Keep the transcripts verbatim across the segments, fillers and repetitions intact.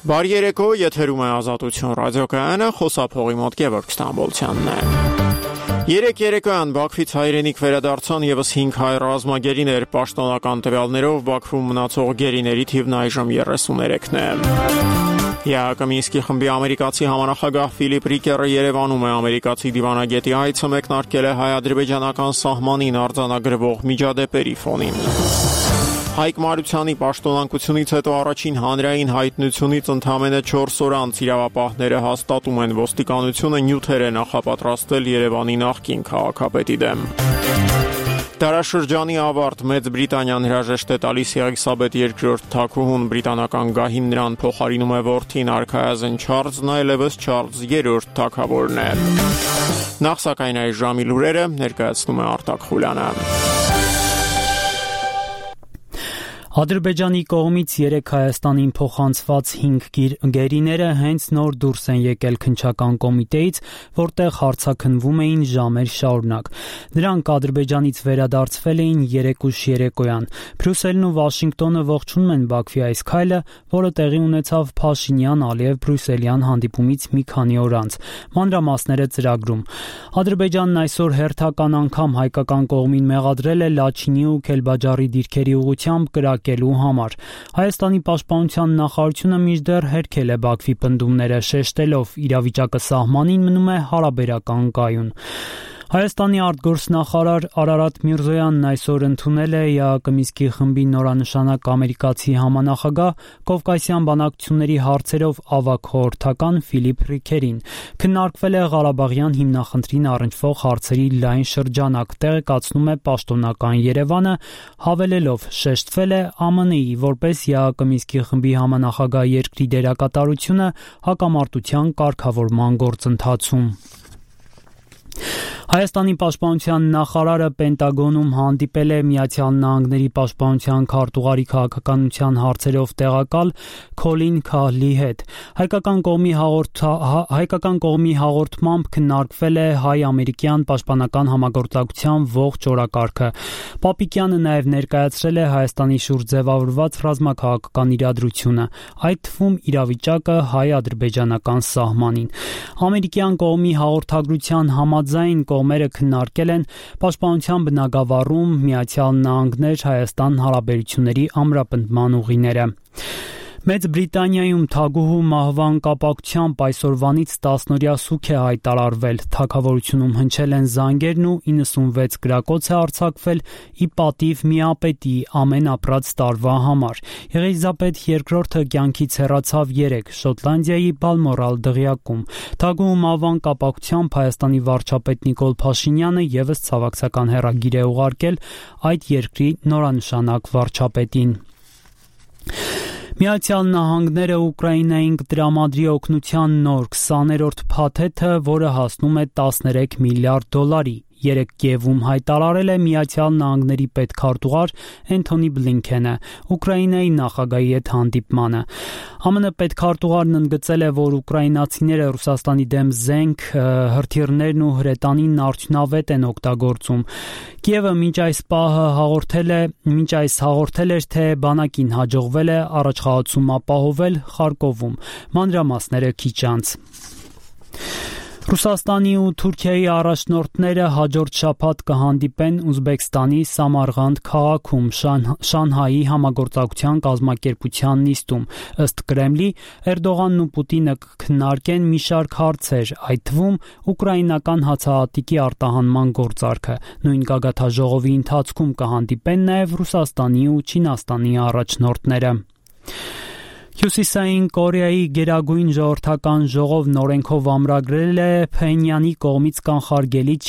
Բարի երեկո, եթերում է Ազատություն ռադիոկայանը, խոսափողի մոտ Գևորգ Ստամբոլցյանն է։ Երեք երեկոյան Բաքվից հայրենիք վերադարձան եւս հինգ հայ ռազմագերիներ, պաշտոնական տվյալներով Բաքվում մնացող գերիների թիվն այժմ երեսուներեքն է։ ԵԱՀԿ Մինսկի խմբի ամերիկացի համանախագահ Ֆիլիպ Ռիկերը Երևանում է, ամերիկացի դիվանագետի այցը մեկնարկել է հայ-ադրբեջանական սահմանին արձանագրվող միջադեպերի ֆոնին։ Հայկ Մարությանի պաշտոնանկությունից հետո առաջին հանրային հայտնությունից ընդամենը չորս օր անց իրավապահները հաստատում են, ոստիկանությունը նյութեր է նախապատրաստել Երևանի նախկին քաղաքապետի դեմ։ Դարաշրջանի ավարտ Մեծ Բրիտանիան հրաժեշտ է տալիս Եղիսաբեթ երկրորդ թագուհուն, բրիտանական գահին նրան փոխարինում է որդին արքայազն Չարլզն, այլևս Չարլզ երրորդ թագավորն է։ Նախ սակայն այս ժամի լուրերը ներկայացնում է Արտակ Խուլյանը։ Ադրբեջանի կողմից երեք Հայաստանին փոխանցված հինգ գերիները հենց նոր դուրս են եկել քննչական կոմիտեից, որտեղ հարցաքննվում էին ժամեր շարունակ։ Նրանք Ադրբեջանից վերադարձվել էին երեկուշ երեկոյան։ Բրյուսելն ու Վաշինգտոնը ողջունում են Բաքվի այս քայլը, որը տեղի ունեցավ Փաշինյան-Ալիև-Բրյուսելյան հանդիպումից մի քանի օր անց։ Մանրամասները ծրագրում։ Ադրբեջանն այսօր հերթական անգամ հայկական կողմին մեղադրել է Լաչինի ու Քելբաջարի դիրքերի ուղղությամբ կրակելու համար։ Հայաստանի պաշտպանության նախարարությունը մինչդեռ հերքել է Բաքվի պնդումները, շեշտելով՝ իրավիճակը սահմանին մնում է հարաբերական կայուն։ Հայաստանի արտգործնախարար Արարատ Միրզոյանն այսօր ընդունել է ԵԱՀԿ Մինսկի խմբի նորանշանակ ամերիկացի համանախագահ, Կովկասյան բանակցությունների հարցերով ավագ խորհրդական Ֆիլիպ Ռիկերին։ Քննարկվել է Ղարաբաղյան հիմնախնդրին առնչվող հարցերի լայն շրջանակ, տեղեկացնում է պաշտոնական Երևանը, հավելելով՝ շեշտվել է ԱՄՆ-ի որպես ԵԱՀԿ Մինսկի խմբի համանախագահ երկրի դերակատարությունը հակամարտության կարգավորման գործընթացում։ Հայաստանի պաշտպանության նախարարը Պենտագոնում հանդիպել է Միացյալ Նահանգների պաշտպանության քարտուղարի քաղաքականության հարցերով տեղակալ Քոլին Քահլի հետ։ Հայկական կողմի հաղորդ... հայկական կողմի հաղորդմամբ քննարկվել է հայ-ամերիկյան պաշտպանական համագործակցության ողջ օրակարգը։ Պապիկյանը նաև ներկայացրել է Հայաստանի շուրջ ձևավորված ռազմաքաղաքական իրադրությունը, այդ թվում իրավիճակը հայ-ադրբեջանական սահմանին։ Ամերիկյան կողմի հաղորդագրության համաձայն կողմերը քննարկել են պաշտպանության բնագավառում Միացյալ Նահանգներ-Հայաստան հարաբերությունների ամրապնդման ուղիները։ Մեծ Բրիտանիայում թագուհու մահվան կապակցությամբ այսօրվանից տասնօրյա սուգ է հայտարարվել։ Թագավորությունում հնչել են զանգերն ու իննսունվեց գրակոց է արձակվել ի պատիվ միապետի ամեն ապրած տարվա համար։ Եղիսաբեթ երկրորդը կյանքից հեռացավ երեկ Շոտլանդիայի Բալմորալ դղյակում։ Թագուհու մահվան կապակցությամբ Հայաստանի վարչապետ Նիկոլ Փաշինյանը ևս ցավակցական հեռագիր է ուղարկել այդ երկրի նորանշանակ վարչապետին։ Միացյալ Նահանգները Ուկրաինային կտրամադրի օգնության նոր քսաներորդ փաթեթը, որը հասնում է տասներեք միլիարդ դոլարի։ Երեկ Կիևում հայտարարել է Միացյալ Նահանգների պետքարտուղար Էնթոնի Բլինքենը Ուկրաինայի նախագահի հետ հանդիպմանը։ ԱՄՆ պետքարտուղարն ընդգծել է, որ ուկրաինացիները Ռուսաստանի դեմ զենք, հրթիռներն ու հրետանին արդյունավետ են օգտագործում։ Կիևը մինչ այս պահը հաղորդել է, մինչ այս հաղորդել էր, թե բանակին հաջողվել է առաջխաղացում ապահովել Խարկովում։ Մանրամասները քիչ անց։ Ռուսաստանի ու Թուրքիայի առաջնորդները հաջորդ շաբաթ կհանդիպեն Ուզբեկստանի Սամարղանդ քաղաքում Շանհայի համագործակցության կազմակերպության նիստում։ Ըստ Կրեմլի, Էրդողանն ու Պուտինը կքննարկեն մի շարք հարցեր, այդ թվում ուկրաինական հացահատիկի արտահանման գործարքը։ Նույն գագաթաժողովի ընթացքում կհանդիպեն նաև Ռուսաստանի ու Չինաստանի առաջնորդները։ Հյուսիսային Կորեայի գերագույն ժողովրդական ժողովն օրենքով ամրագրել է Փենյանի կողմից կանխարգելիչ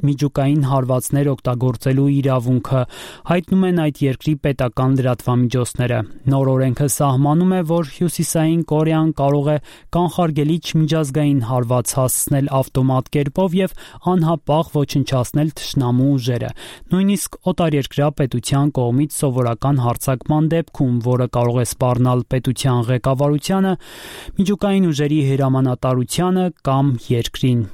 միջուկային հարվածներ օգտագործելու իրավունքը, հայտնում են այդ երկրի պետական լրատվամիջոցները։ Նոր օրենքը սահմանում է, որ Հյուսիսային Կորեան կարող է կանխարգելիչ միջազգային հարված հասցնել ավտոմատ կերպով եւ անհապաղ ոչնչացնել թշնամու ուժերը, նույնիսկ օտարերկրյա պետության կողմից սովորական հարձակման դեպքում, որը կարող է սպառնալ պետության ղեկավարությանը, միջուկային ուժերի հրամանատարությանը կամ երկրին։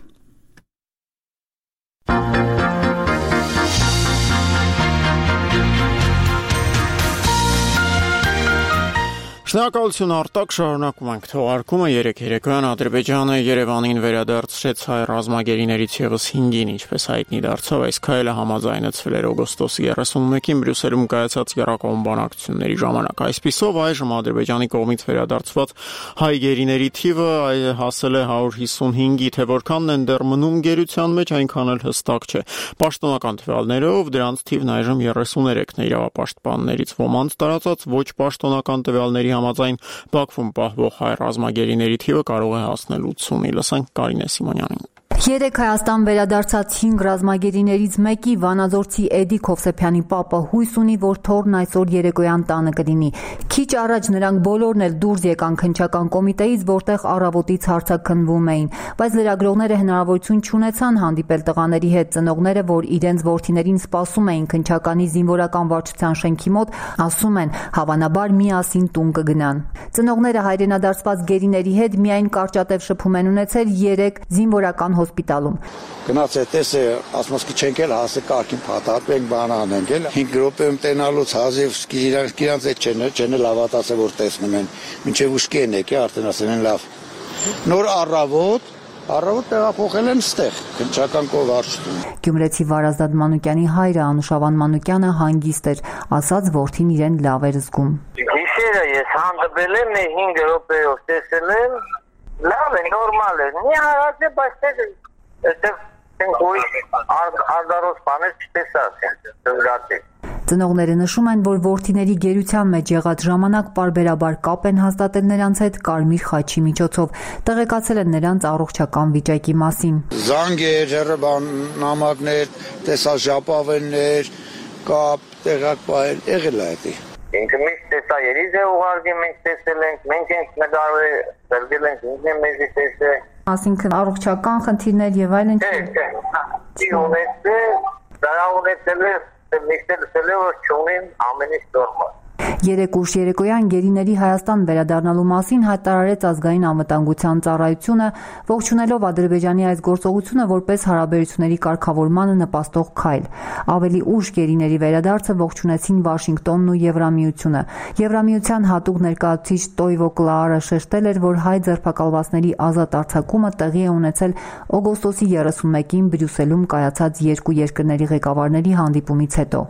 Շնորհակալություն Արտակ, շարունակում ենք թողարկումը երեք երեկոյան Ադրբեջանը Երևանին վերադարձրեց հայ ռազմագերիներից եւս հինգին, ինչպես հայտնի դարձավ, այս քայլը համաձայնեցվել էր օգոստոսի երեսունմեկին Բրյուսելում կայացած Գերակոմ բանակցությունների ժամանակ։ Այսպիսով այժմ Ադրբեջանի կողմից վերադարձված հայ գերիների թիվը հասել է հարյուր հիսունհինգի, թե որքանն են դեռ մնում գերության մեջ, այնքան էլ հստակ չէ։ Պաշտոնական տվյալներով դրանց թիվն այժմ երեսուներեքն է, իրավապաշտպաններից ոմանց տարածած ոչ պաշտոնական տվյալների համաձայն Բաքվում պահվող հայ ռազմագերիների թիվը կարող է հասնել ութսունի։ Լսենք Կարինե Սիմոնյանին։ Երեք Հայաստան վերադարձած հինգ ռազմագերիներից մեկի Վանաձորցի Էդիկ Հովսեփյանի պապը հույս ունի, որ թոռն այսօր երեկոյան տանը կլինի։ Քիչ առաջ նրանք բոլորն էլ դուրս եկան քննչական կոմիտեից, որտեղ առավոտից հարցաքննվում էին, բայց լրագրողները հնարավորություն չունեցան հանդիպել տղաների հետ։ Ծնողները, որ իրենց որդիներին սպասում էին քննչականի զինվորական վարչության շենքի մոտ, ասում են, հավանաբար միասին տուն կգնան։ Ծնողները հայրենադարձված գերիների հետ միայն կարճատև շփում են ունեցել երեք զինվորական հոսպիտալում։ Գնաց է տեսե ասմոսկի չենք էլ հասե կարգին փաթաթենք բան անենք էլ հինգ րոպեում տենալուց հազիվ իրանք իրանք այդ չեն չեն լավատասը որ տեսնում են մինչև ուշքի են եկե արդեն ասեն են լավ նոր առավոտ Առավոտ տեղափոխել են ստեղ, քննչական կողարշտում։ Գյումրեցի Վարազդատ Մանուկյանի հայրը Անուշավան Մանուկյանը հանգիստ էր, ասաց որդին իրեն լավ էր զգում։ Գիշերը ես հանդիպել եմ հինգ րոպեով տեսել եմ, լավ է, նորմալ է։ Մի հարած է, բայց այդտեղ ուրիշ արդարոց բաներ չտեսած են, դժգացի։ Ծնողները նշում են, որ որդիների գերության մեջ եղած ժամանակ պարբերաբար կապ են հաստատել նրանց հետ Կարմիր խաչի միջոցով, տեղեկացել են նրանց առողջական վիճակի մասին։ Զանգեր, հեռաբան նամակներ, տեսա ժապավեններ, կապ, տեղակ պահել, եղել է դա։ Ինքը միշտ տեսա երիզ է ուղարկի, մենք տեսել ենք, մենք ենք նկարել, ծրգել ենք, ինքն է մեզի տեսել։ Այսինքն առողջական խնդիրներ եւ այլն։ Չէ, չէ։ Չի ունեցել, դրա ունեցել է Միշտել սելևոր չունին ամեն ինչ նորմալ։ Երեք ուշ երեկոյան գերիների Հայաստան վերադառնալու մասին հայտարարեց ազգային անվտանգության ծառայությունը, ողջունելով Ադրբեջանի այս գործողությունը որպես հարաբերությունների կարգավորմանը նպաստող քայլ։ Ավելի ուշ գերիների վերադարձը ողջունեցին Վաշինգտոնն ու Եվրամիությունը։ Եվրամիության հատուկ ներկայացուցիչ Տոյվո Կլաարը շեշտել էր, որ հայ ձերբակալվածների ազատ արձակումը տեղի է ունեցել օգոստոսի երեսունմեկին Բրյուսելում կայացած երկու երկրների ղեկավարների հանդիպումից հետո։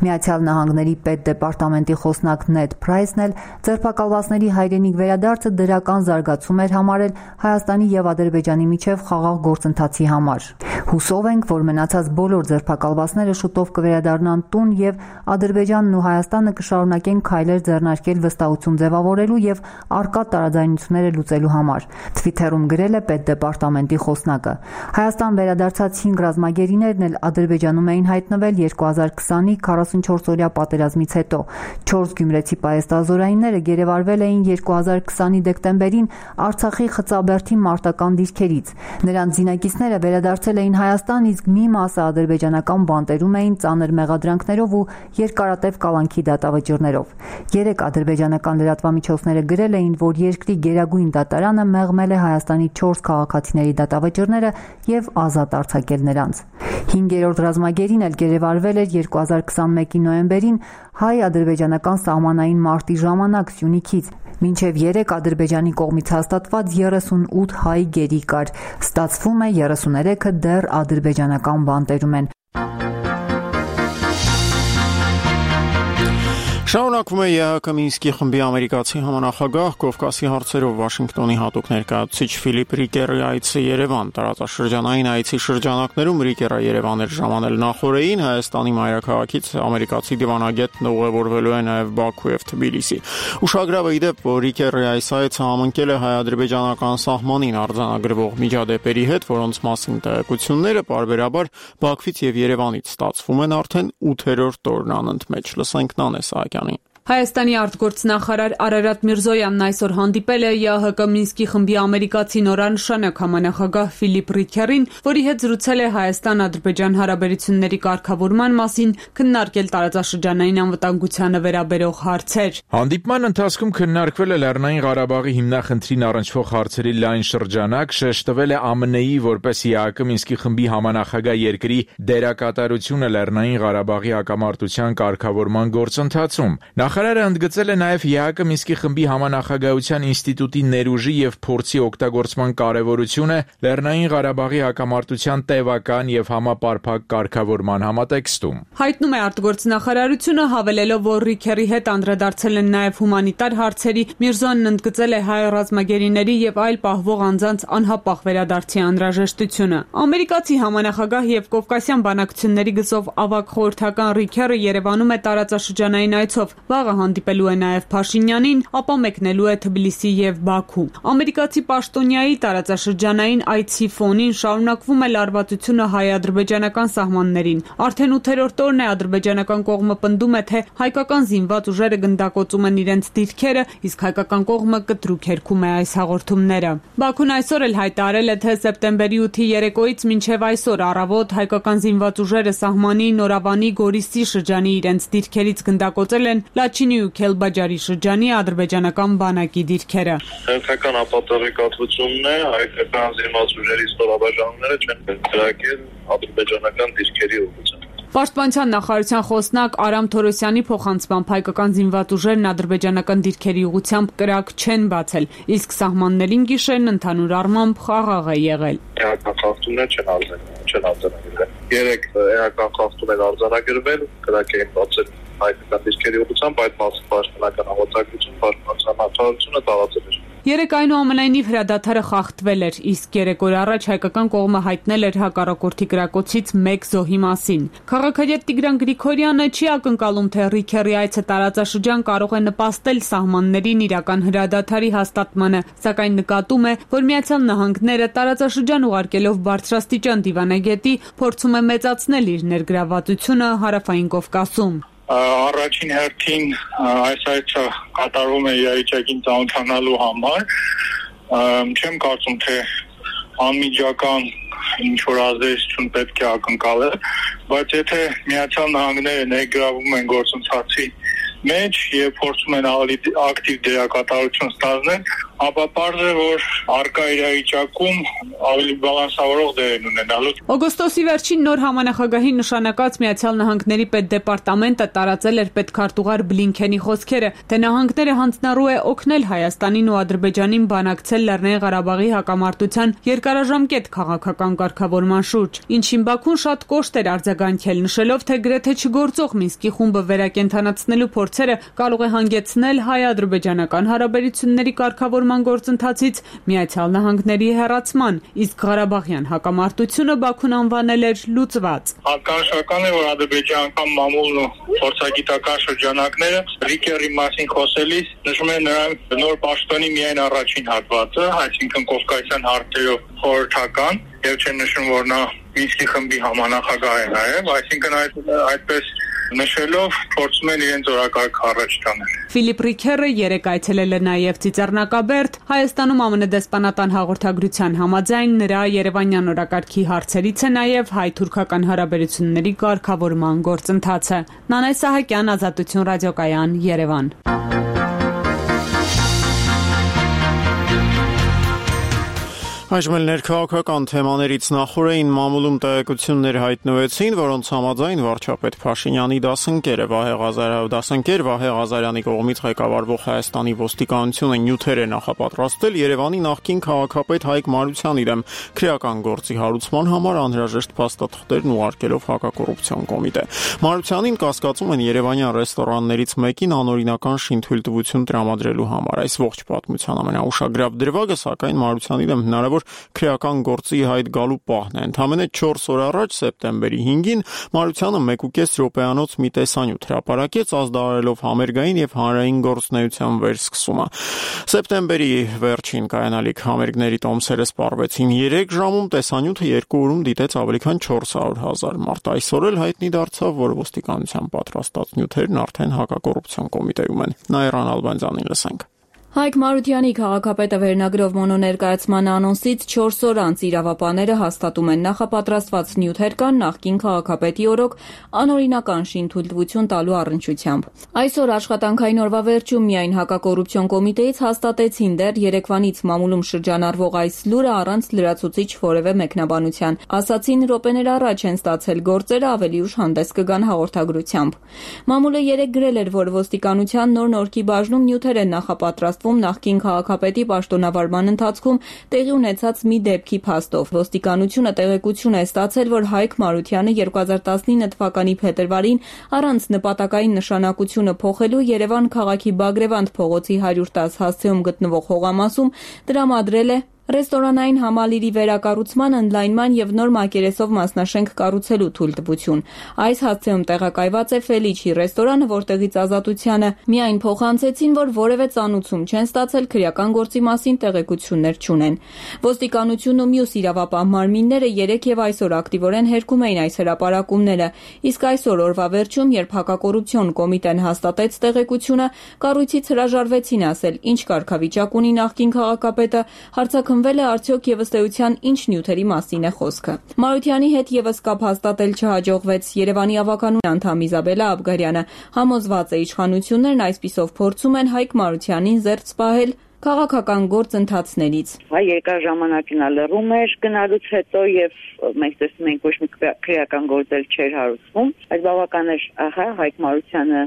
Միացյալ Նահանգների պետդեպարտամենտի խոսնակ Նեդ Փրայսն էլ ձերբակալվածների հայրենիք վերադարձը դրական զարգացում էր համարել Հայաստանի եւ Ադրբեջանի միջև խաղաղ գործընթացի համար։ Հուսով ենք, որ մնացած բոլոր ձերբակալվածները շուտով կվերադառնան տուն եւ Ադրբեջանն ու Հայաստանը կշարունակեն քայլեր ձեռնարկել վստահություն ձևավորելու եւ առկա տարաձայնությունները լուծելու համար։ Թվիթերում գրել է պետդեպարտամենտի խոսնակը։ Հայաստան վերադարձած հինգ ռազմագերիներն էլ Ադրբեջանում էին հայտնվել երկու հազար քսանի քառասունչորս-օրյա պատերազմից հետո։ Չորս գյումրեցի պայեստազորայինները գերեվարվել էին երկու հազար քսանի դեկտեմբերին Արցախի Խծաբերդի մարտական դիրքերից։ Նրանց զինակիցները վերադարձել էին Հայաստան, իսկ մի մասը ադրբեջանական բանտերում էին ծանր մեղադրանքներով ու երկարատև կալանքի դատավճիռներով։ Երեք ադրբեջանական լրատվամիջոցները գրել էին, որ երկրի գերագույն դատարանը մեղմել է Հայաստանի չորս քաղաքացիների դատավճիռները եւ ազատ արձակել նրանց։ Հինգերորդ ռազմագերին էլ գերեվարվել էր երկու հազար քսանմեկի նոյեմբերին հայ-ադրբեջանական սահմանային մարտի ժամանակ Սյունիքից։ Մինչև երեք Ադրբեջանի կողմից հաստատված երեսունութ հայ գերի կար։ Ստացվում է երեսուներեքը դեռ ադրբեջանական բանտերում են։ Շարունակվում է ԵԱՀԿ Մինսկի խմբի ամերիկացի համանախագահ Կովկասի հարցերով Վաշինգտոնի հատուկ ներկայացուցիչ Ֆիլիպ Ռիկերի այցը Երևան։ Տարածաշրջանային այցի շրջանակներում Ռիկերը Երևան էր ժամանել նախորդին, Հայաստանի մայրաքաղաքից ամերիկացի դիվանագետն ուղևորվելու է նաև Բաքու եւ Թբիլիսի։ Ուշագրավ է ի դեպ, որ Ռիկերի այս այցը համընկել է հայ-ադրբեջանական սահմանին արձանագրվող միջադեպերի հետ, որոնց մասին տեղեկությունները պարբերաբար Բաքվից եւ Երևանից ստացվում են արդեն ութերորդ օրն անընդմեջ։ Լսենք Նանե Սահակյանի։ Հայաստանի արտգործնախարար Արարատ Միրզոյանն այսօր հանդիպել է ԵԱՀԿ Մինսկի խմբի ամերիկացի նորանշանակ համանախագահ Ֆիլիպ Ռիկերին, որի հետ զրուցել է Հայաստան-Ադրբեջան հարաբերությունների կարգավորման մասին, քննարկել տարածաշրջանային անվտանգությանը վերաբերող հարցեր։ Հանդիպման ընթացքում քննարկվել է Լեռնային Ղարաբաղի հիմնախնդրին առնչվող հարցերի լայն շրջանակ, շեշտվել է ԱՄՆ-ի որպես ԵԱՀԿ Մինսկի խմբի համանախագահ երկրի դերակատարությունը Լեռնային Ղարաբաղի հակամարտության կարգավորման գործընթացում։ Նախարարը ընդգծել է նաև ԵԱԿ Մինսկի խմբի համանախագահության ինստիտուտի ներուժի եւ փորձի օգտագործման կարեւորությունը Լեռնային Ղարաբաղի հակամարտության տևական եւ համապարփակ կարգավորման համատեքստում։ Հայտնում է արտգործնախարարությունը, հավելելով, որ Ռիքերի հետ անդրադարձել են նաև հումանիտար հարցերի, Միրզոյանն ընդգծել է հայ ռազմագերիների եւ այլ պահվող անձանց անհապաղ վերադարձի անհրաժեշտությունը։ Ամերիկացի համանախագահ եւ կովկասյան բանակցությունների գծով ավագ խորհրդական Ռիքերը Երևանում է տարածաշրջանային այցով։ Վաղը հանդիպելու է նաև Փաշինյանին, ապա մեկնելու է Թբիլիսի եւ Բաքու։ Ամերիկացի պաշտոնյայի տարածաշրջանային այցի ֆոնին շարունակվում է լարվածությունը հայ-ադրբեջանական սահմաններին։ Արդեն ութերորդ օրն է ադրբեջանական կողմը պնդում է, թե հայկական զինված ուժերը գնդակոծում են իրենց դիրքերը, իսկ հայկական կողմը կտրուկ հերքում է այս հաղորդումները։ Բաքուն այսօր էլ հայտարարել է, թե սեպտեմբերի ութի երեկոյից մինչև այսօր առավոտ հայկական զինված ուժերը սահմանի, Նորավանի, Գորիսի շրջանի իրենց դիրքերից գնդակոծել են Լաչինի ու Քելբաջարի շրջանի ադրբեջանական բանակի դիրքերը։ Հերթական ապատեղեկատվությունն է, հայկական զինված ուժերի ստորաբաժանումները չեն կրակել ադրբեջանական դիրքերի ուղղությամբ։ Պաշտպանության նախարարության խոսնակ Արամ Թորոսյանի փոխանցմամբ հայկական զինված ուժերն ադրբեջանական դիրքերի ուղղությամբ կրակ չեն բացել, իսկ սահմաններին գիշերն ընդհանուր առմամբ խաղաղ է եղել։ Էական խախտումներ չեն արձանագրվել։ Երեք էական խախտումներ արձանագրվել, կրակ էին բացել հայկական դիրքերի ուղղությամբ, այդ մասը պաշտպանական հավատագրություն, պաշտպանության նախարարությունը տարածել էր։ Երեք այնուամենայնիվ հրադադարը խախտվել էր, իսկ երեք օր առաջ հայկական կողմը հայտնել էր հակառակորդի կրակոցից մեկ զոհի մասին։ Քաղաքագետ Տիգրան Գրիգորյանը չի ակնկալում, թե Ռիքերի այցը տարածաշրջան կարող է նպաստել սահմաններին իրական հրադադարի հաստատմանը, սակայն նկատում է, որ Միացյալ Նահանգները տարածաշրջան ուղարկելով բարձրաստիճան դիվանագետի փորձում է մեծացնել իր ներգրավվածությունը Հարավային Կովկասում։ Առաջին հերթին այս այցը կատարվում է իրավիճակին ծանոթանալու համար։ Չեմ կարծում, թե անմիջական ինչ-որ ազդեցություն պետք է ակնկալել, բայց եթե Միացյալ Նահանգները ներգրավում են գործընթացի մեջ եւ փորձում են ավելի ակտիվ դերակատարություն ստանալ, ապա պարզ է, որ առկա իրավիճակում ավելի բալանսավորող դեր են ունենալու։ Օգոստոսի վերջին նոր համանախագահի նշանակած Միացյալ Նահանգների պետդեպարտամենտը տարածել էր պետքարտուղար Բլինքենի խոսքերը, թե նահանգները հանձնառու է օգնել Հայաստանին ու Ադրբեջանին բանակցել Լեռնային Ղարաբաղի հակամարտության երկարաժամկետ քաղաքական կարգավորման շուրջ, ինչին Բաքուն շատ կոշտ էր արձագանքել, նշելով, թե գրեթե չգործող Մինսկի խումբը վերակենդանացնելու փորձերը կարող է հանգեցնել հայ-ադրբեջանական հարաբերությունների կարգավորման գործընթացից Միացյալ Նահանգների հեռացման, իսկ Ղարաբաղյան հակամարտությունը Բաքուն անվանել էր լուծված։ Հատկանշական է, որ ադրբեջանական մամուլն ու փորձագիտական շրջանակները Ռիքերի մասին խոսելիս նշում են նրա նոր պաշտոնի միայն առաջին հատվածը, այսինքն կովկասյան հարցերով խորհրդական, եւ չեն նշում, որ նա Մինսկի խմբի համանախագահ է նաեւ, այսինքն այդ այդպես նշելով փորձում են իրենց օրակարգը առաջ տանել։ Ֆիլիպ Ռիքերը երեք այցելել է նաև Ծիծեռնակաբերդ, Հայաստանում ԱՄՆ դեսպանատան հաղորդագրության համաձայն նրա երևանյան օրակարգի հարցերից է նաև հայ-թուրքական հարաբերությունների կարգավորման գործընթացը։ Նանայ Սահակյան, Ազատություն ռադիոկայան, Երևան։ Այժմ էլ ներքաղաքական թեմաներից նախորդին մամուլում տեղեկություններ հայտնվեցին, որոնց համաձայն վարչապետ Փաշինյանի դասընկերը Վահե Ղազարյանը դասընկեր Վահե Ղազարյանի կողմից ղեկավարվող Հայաստանի ոստիկանությունը նյութեր է նախապատրաստել Երևանի նախկին քաղաքապետ Հայկ Մարությանի դեմ քրեական գործի հարուցման համար անհրաժեշտ փաստաթղթերն ուղարկելով հակակոռուպցիոն կոմիտե։ Մարությանին կասկածում են երևանյան ռեստորաններից մեկին անօրինական շինթույլտվություն տրամադրելու համար։ Այս ողջ պատմության ամենաուշագրավ դրվագը, սակայն Մարությանի դեմ հնարավոր քրեական գործի հայտ գալու պահն է։ Ընդամենը չորս օր առաջ սեպտեմբերի հինգին Մարությանը մեկ ու կես րոպեանոց մի տեսանյութ հրապարակեց, ազդարարելով համերգային եւ հանրային գործունեության վերսկսումը։ Սեպտեմբերի վերջին կայանալիք համերգների տոմսերը սպառվեցին երեք ժամում, տեսանյութը երկու օրում դիտեց ավելի քան չորս հարյուր հազար մարդ։ Այսօր էլ հայտնի դարձավ, որ ոստիկանության պատրաստած նյութերն արդեն հակակոռուպցիոն կոմիտեում են։ Նաիրան Ալբանդյանին լսենք։ Հայկ Մարությանի քաղաքապետը վերնագրով մոնոներկայացման անոնսից չորս օր անց իրավապահները հաստատում են նախապատրաստված նյութեր կան նախկին քաղաքապետի օրոք անօրինական շինթույլտվություն տալու առնչությամբ։ Այսօր աշխատանքային օրվա վերջում միայն հակակոռուպցիոն կոմիտեից հաստատեցին դեռ երեկվանից մամուլում շրջանառվող այս լուրը առանց լրացուցիչ որևէ մեկնաբանության։ Ասացին րոպեներ առաջ են ստացել գործերը ավելի ուշ հանդես կգան հաղորդագրությամբ։ Մամուլը երեկ գրել էր, որ ոստիկանության նոր նորքի բաժնում նյութեր են նախապատրաստվում նախկին քաղաքապետի պաշտոնավարման ընթացքում տեղի ունեցած մի դեպքի փաստով։ Ոստիկանությունը տեղեկություն է ստացել, որ Հայկ Մարությանը երկու հազար տասնինը թվականի փետրվարին առանց նպատակային նշանակությունը փոխելու Երևան քաղաքի Բագրևանդ փողոցի հարյուր տասը հասցեում գտնվող հողամասում տրամադրել է ռեստորանային համալիրի վերակառուցման, ընդլայնման եւ նոր մակերեսով մասնաշենք կառուցելու թույլտվություն։ Այս հասցեում տեղակայված է Ֆելիչի ռեստորանը, որտեղից Ազատությանը միայն փոխանցեցին, որ որևէ ծանուցում չեն ստացել, քրեական գործի մասին տեղեկություններ չունեն։ Ոստիկանությունն ու մյուս իրավապահ մարմինները երեք եւ այսօր ակտիվորեն հերքում էին այս հրապարակումները, իսկ այսօր օրվա վերջում, երբ հակակոռուպցիոն կոմիտեն հաստատեց տեղեկությունը, կառույցից հրաժարվեցին ասել, ինչ կարգավիճակ ունի նախկին քաղաքապետը, հարցակն Վել է արդյոք եւ ըստ էության ինչ նյութերի մասին է խոսքը։ Մարությանի հետ եւս կապ հաստատել չհաջողվեց։ Երևանի ավականու անդամ Իզաբելա Աբգարյանը համոզված է իշխանություններն այսպիսով փորձում են Հայկ Մարությանին զերծ պահել քաղաքական գործընթացներից։ Հայ երկար ժամանակ նա լռում էր գնալուց հետո եւ մենք տեսնում ենք ոչ մի քրեական գործել չէր հարուցվում, բայց բավական էր, ահա Հայկ Մարությանը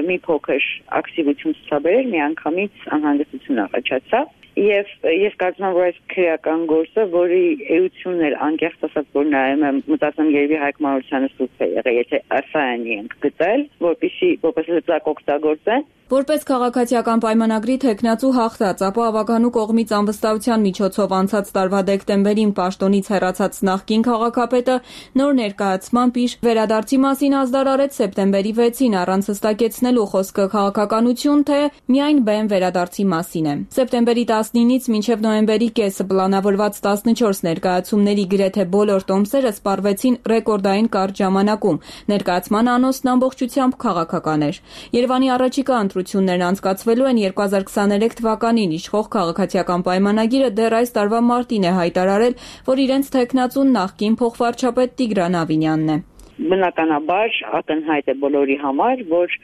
մի փոքր ակտիվություն ցուցաբերել, միանգամից անհանգստություն առաջացավ։ Եվ ես կարծում եմ, որ այս քրեական գործը, որի էությունն էլ անկեղծ ասած, որ նայում եմ, մտածում երևի Հայկ Մարությանը սուտ է եղել, եթե ասայանի ենք գտել, որպեսզի որպես լծակ օգտագործեն։ Որպես քաղաքացիական պայմանագրի թեկնածու հաղթած, ապա ավականու կողմից անվստահության միջոցով անցած տարվա դեկտեմբերին պաշտոնից հեռացած նախկին քաղաքապետը նոր ներկայացմամբ իր վերադարձի մասին ազդարարեց սեպտեմբերի վեցին առանց հստակեցնելու խոսքը քաղաքականություն, թե միայն բեմ վերադարձի մասին է։ Սեպտեմբերի տասնինից մինչև նոյեմբերի կեսը պլանավորված տասնչորս ներկայացումների գրեթե բոլոր տոմսերը սպառվեցին ռեկորդային կարճ ժամանակում։ Ներկայացման անոնսն ամբողջությամբ քաղաքական էր։ Երևանի առաջիկա ընտրություններն անցկացվելու են երկու հազար քսաներեք թվականին, իշխող քաղաքացիական պայմանագիրը դեռ այս տարվա մարտին է հայտարարել, որ իրենց թեկնածուն նախկին փոխվարչապետ Տիգրան Ավինյանն է։ Բնականաբար ակնհայտ է բոլորի համար, որ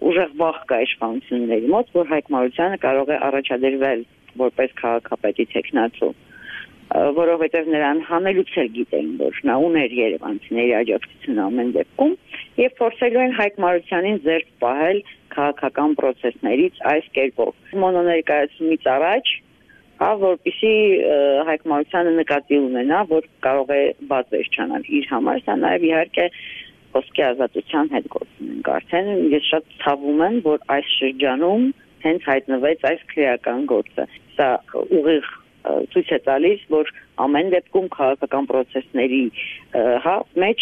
ուժեղ վախ կա իշխանությունների մոտ, որ Հայկ Մարությանը կարող է առաջադրվել որպես քաղաքապետի թեկնածու, որովհետև նրան հանելուց էլ գիտեն, որ նա ուներ երևանցիների աջակցությունը ամեն դեպքում, եւ փորձելու են Հայկ Մարությանին զերծ պահել քաղաքական process-ներից այս կերպով։ Մոնոներկայացումից առաջ, հա, որպեսզի Հայկ Մարությանը նկատի ունենա, որ կարող է բաց վերջանալ իր համար, սա նաեւ իհարկե խոսքի ազատության հետ գործ ունենք արդեն։ Ես շատ ցավում եմ, որ այս շրջանում հենց հայտնվեց այս քրեական գործը։ Սա ուղիղ ցույց է տալիս, որ ամեն դեպքում քաղաքական process-ների հա մեջ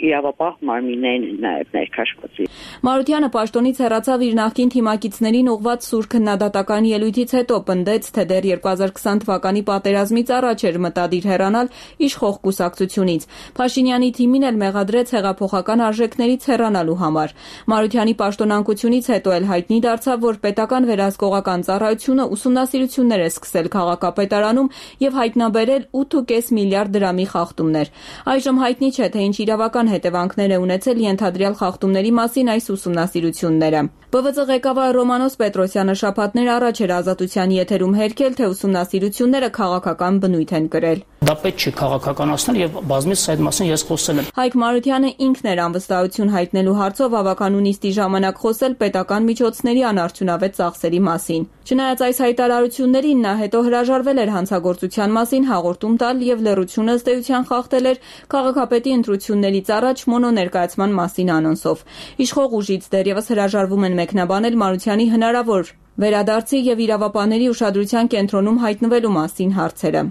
իրավապահ մարմիններն են նաև ներքաշվածի։ Մարությանը պաշտոնից հեռացավ իր նախկին թիմակիցներին ուղղված սուր քննադատական ելույթից հետո, պնդեց, թե դեռ երկու հազար քսան թվականի պատերազմից առաջ էր մտադիր հեռանալ իշխող կուսակցությունից։ Փաշինյանի թիմին էլ մեղադրեց հեղափոխական արժեքներից հեռանալու համար։ Մարությանի պաշտոնանկությունից հետո էլ հայտնի դարձավ, որ պետական վերահսկողական ծառայությունը ուսումնասիրություններ է սկսել քաղաքապետարանում եւ հայտնաբերել ութ ու կես միլիարդ դրամի խախտումներ։ Այժմ հայտնի չէ, թե ինչ իրավական հետևանքներ է ունեցել ենթադրյալ խախտումների մասին այս ուսումնասիրությունները։ Բ V Ծ ղեկավար Ռոմանոս Պետրոսյանը շաբաթներ առաջ էր Ազատության եթերում հերքել, թե ուսումնասիրությունները քաղաքական բնույթ են կրել։ Դա պետք չէ քաղաքականացնել եւ բազմիցս այդ մասին ես խոսել եմ։ Հայկ Մարությանը ինքն էր անվստահություն հայտնելու հարցով ավականու նիստի ժամանակ խոսել պետական միջոցների անարդյունավետ ծախսերի մասին։ Չնայած այս հայտարարություններին, նա հետո հրաժարվել էր հանցագործության մասին հաղորդում տալ եւ լռությունը ըստ էության խախտել էր քաղաքապետի ընտրություններից առաջ մոնոներկայացման մասին անոնսով։ Իշխող ուժից դեռևս հրաժարվում են մեկնաբանել Մարությանի հնարավոր վերադարձի եւ իրավապահների ուշադրության կենտրոնում հայտնվելու մասին հարցերը։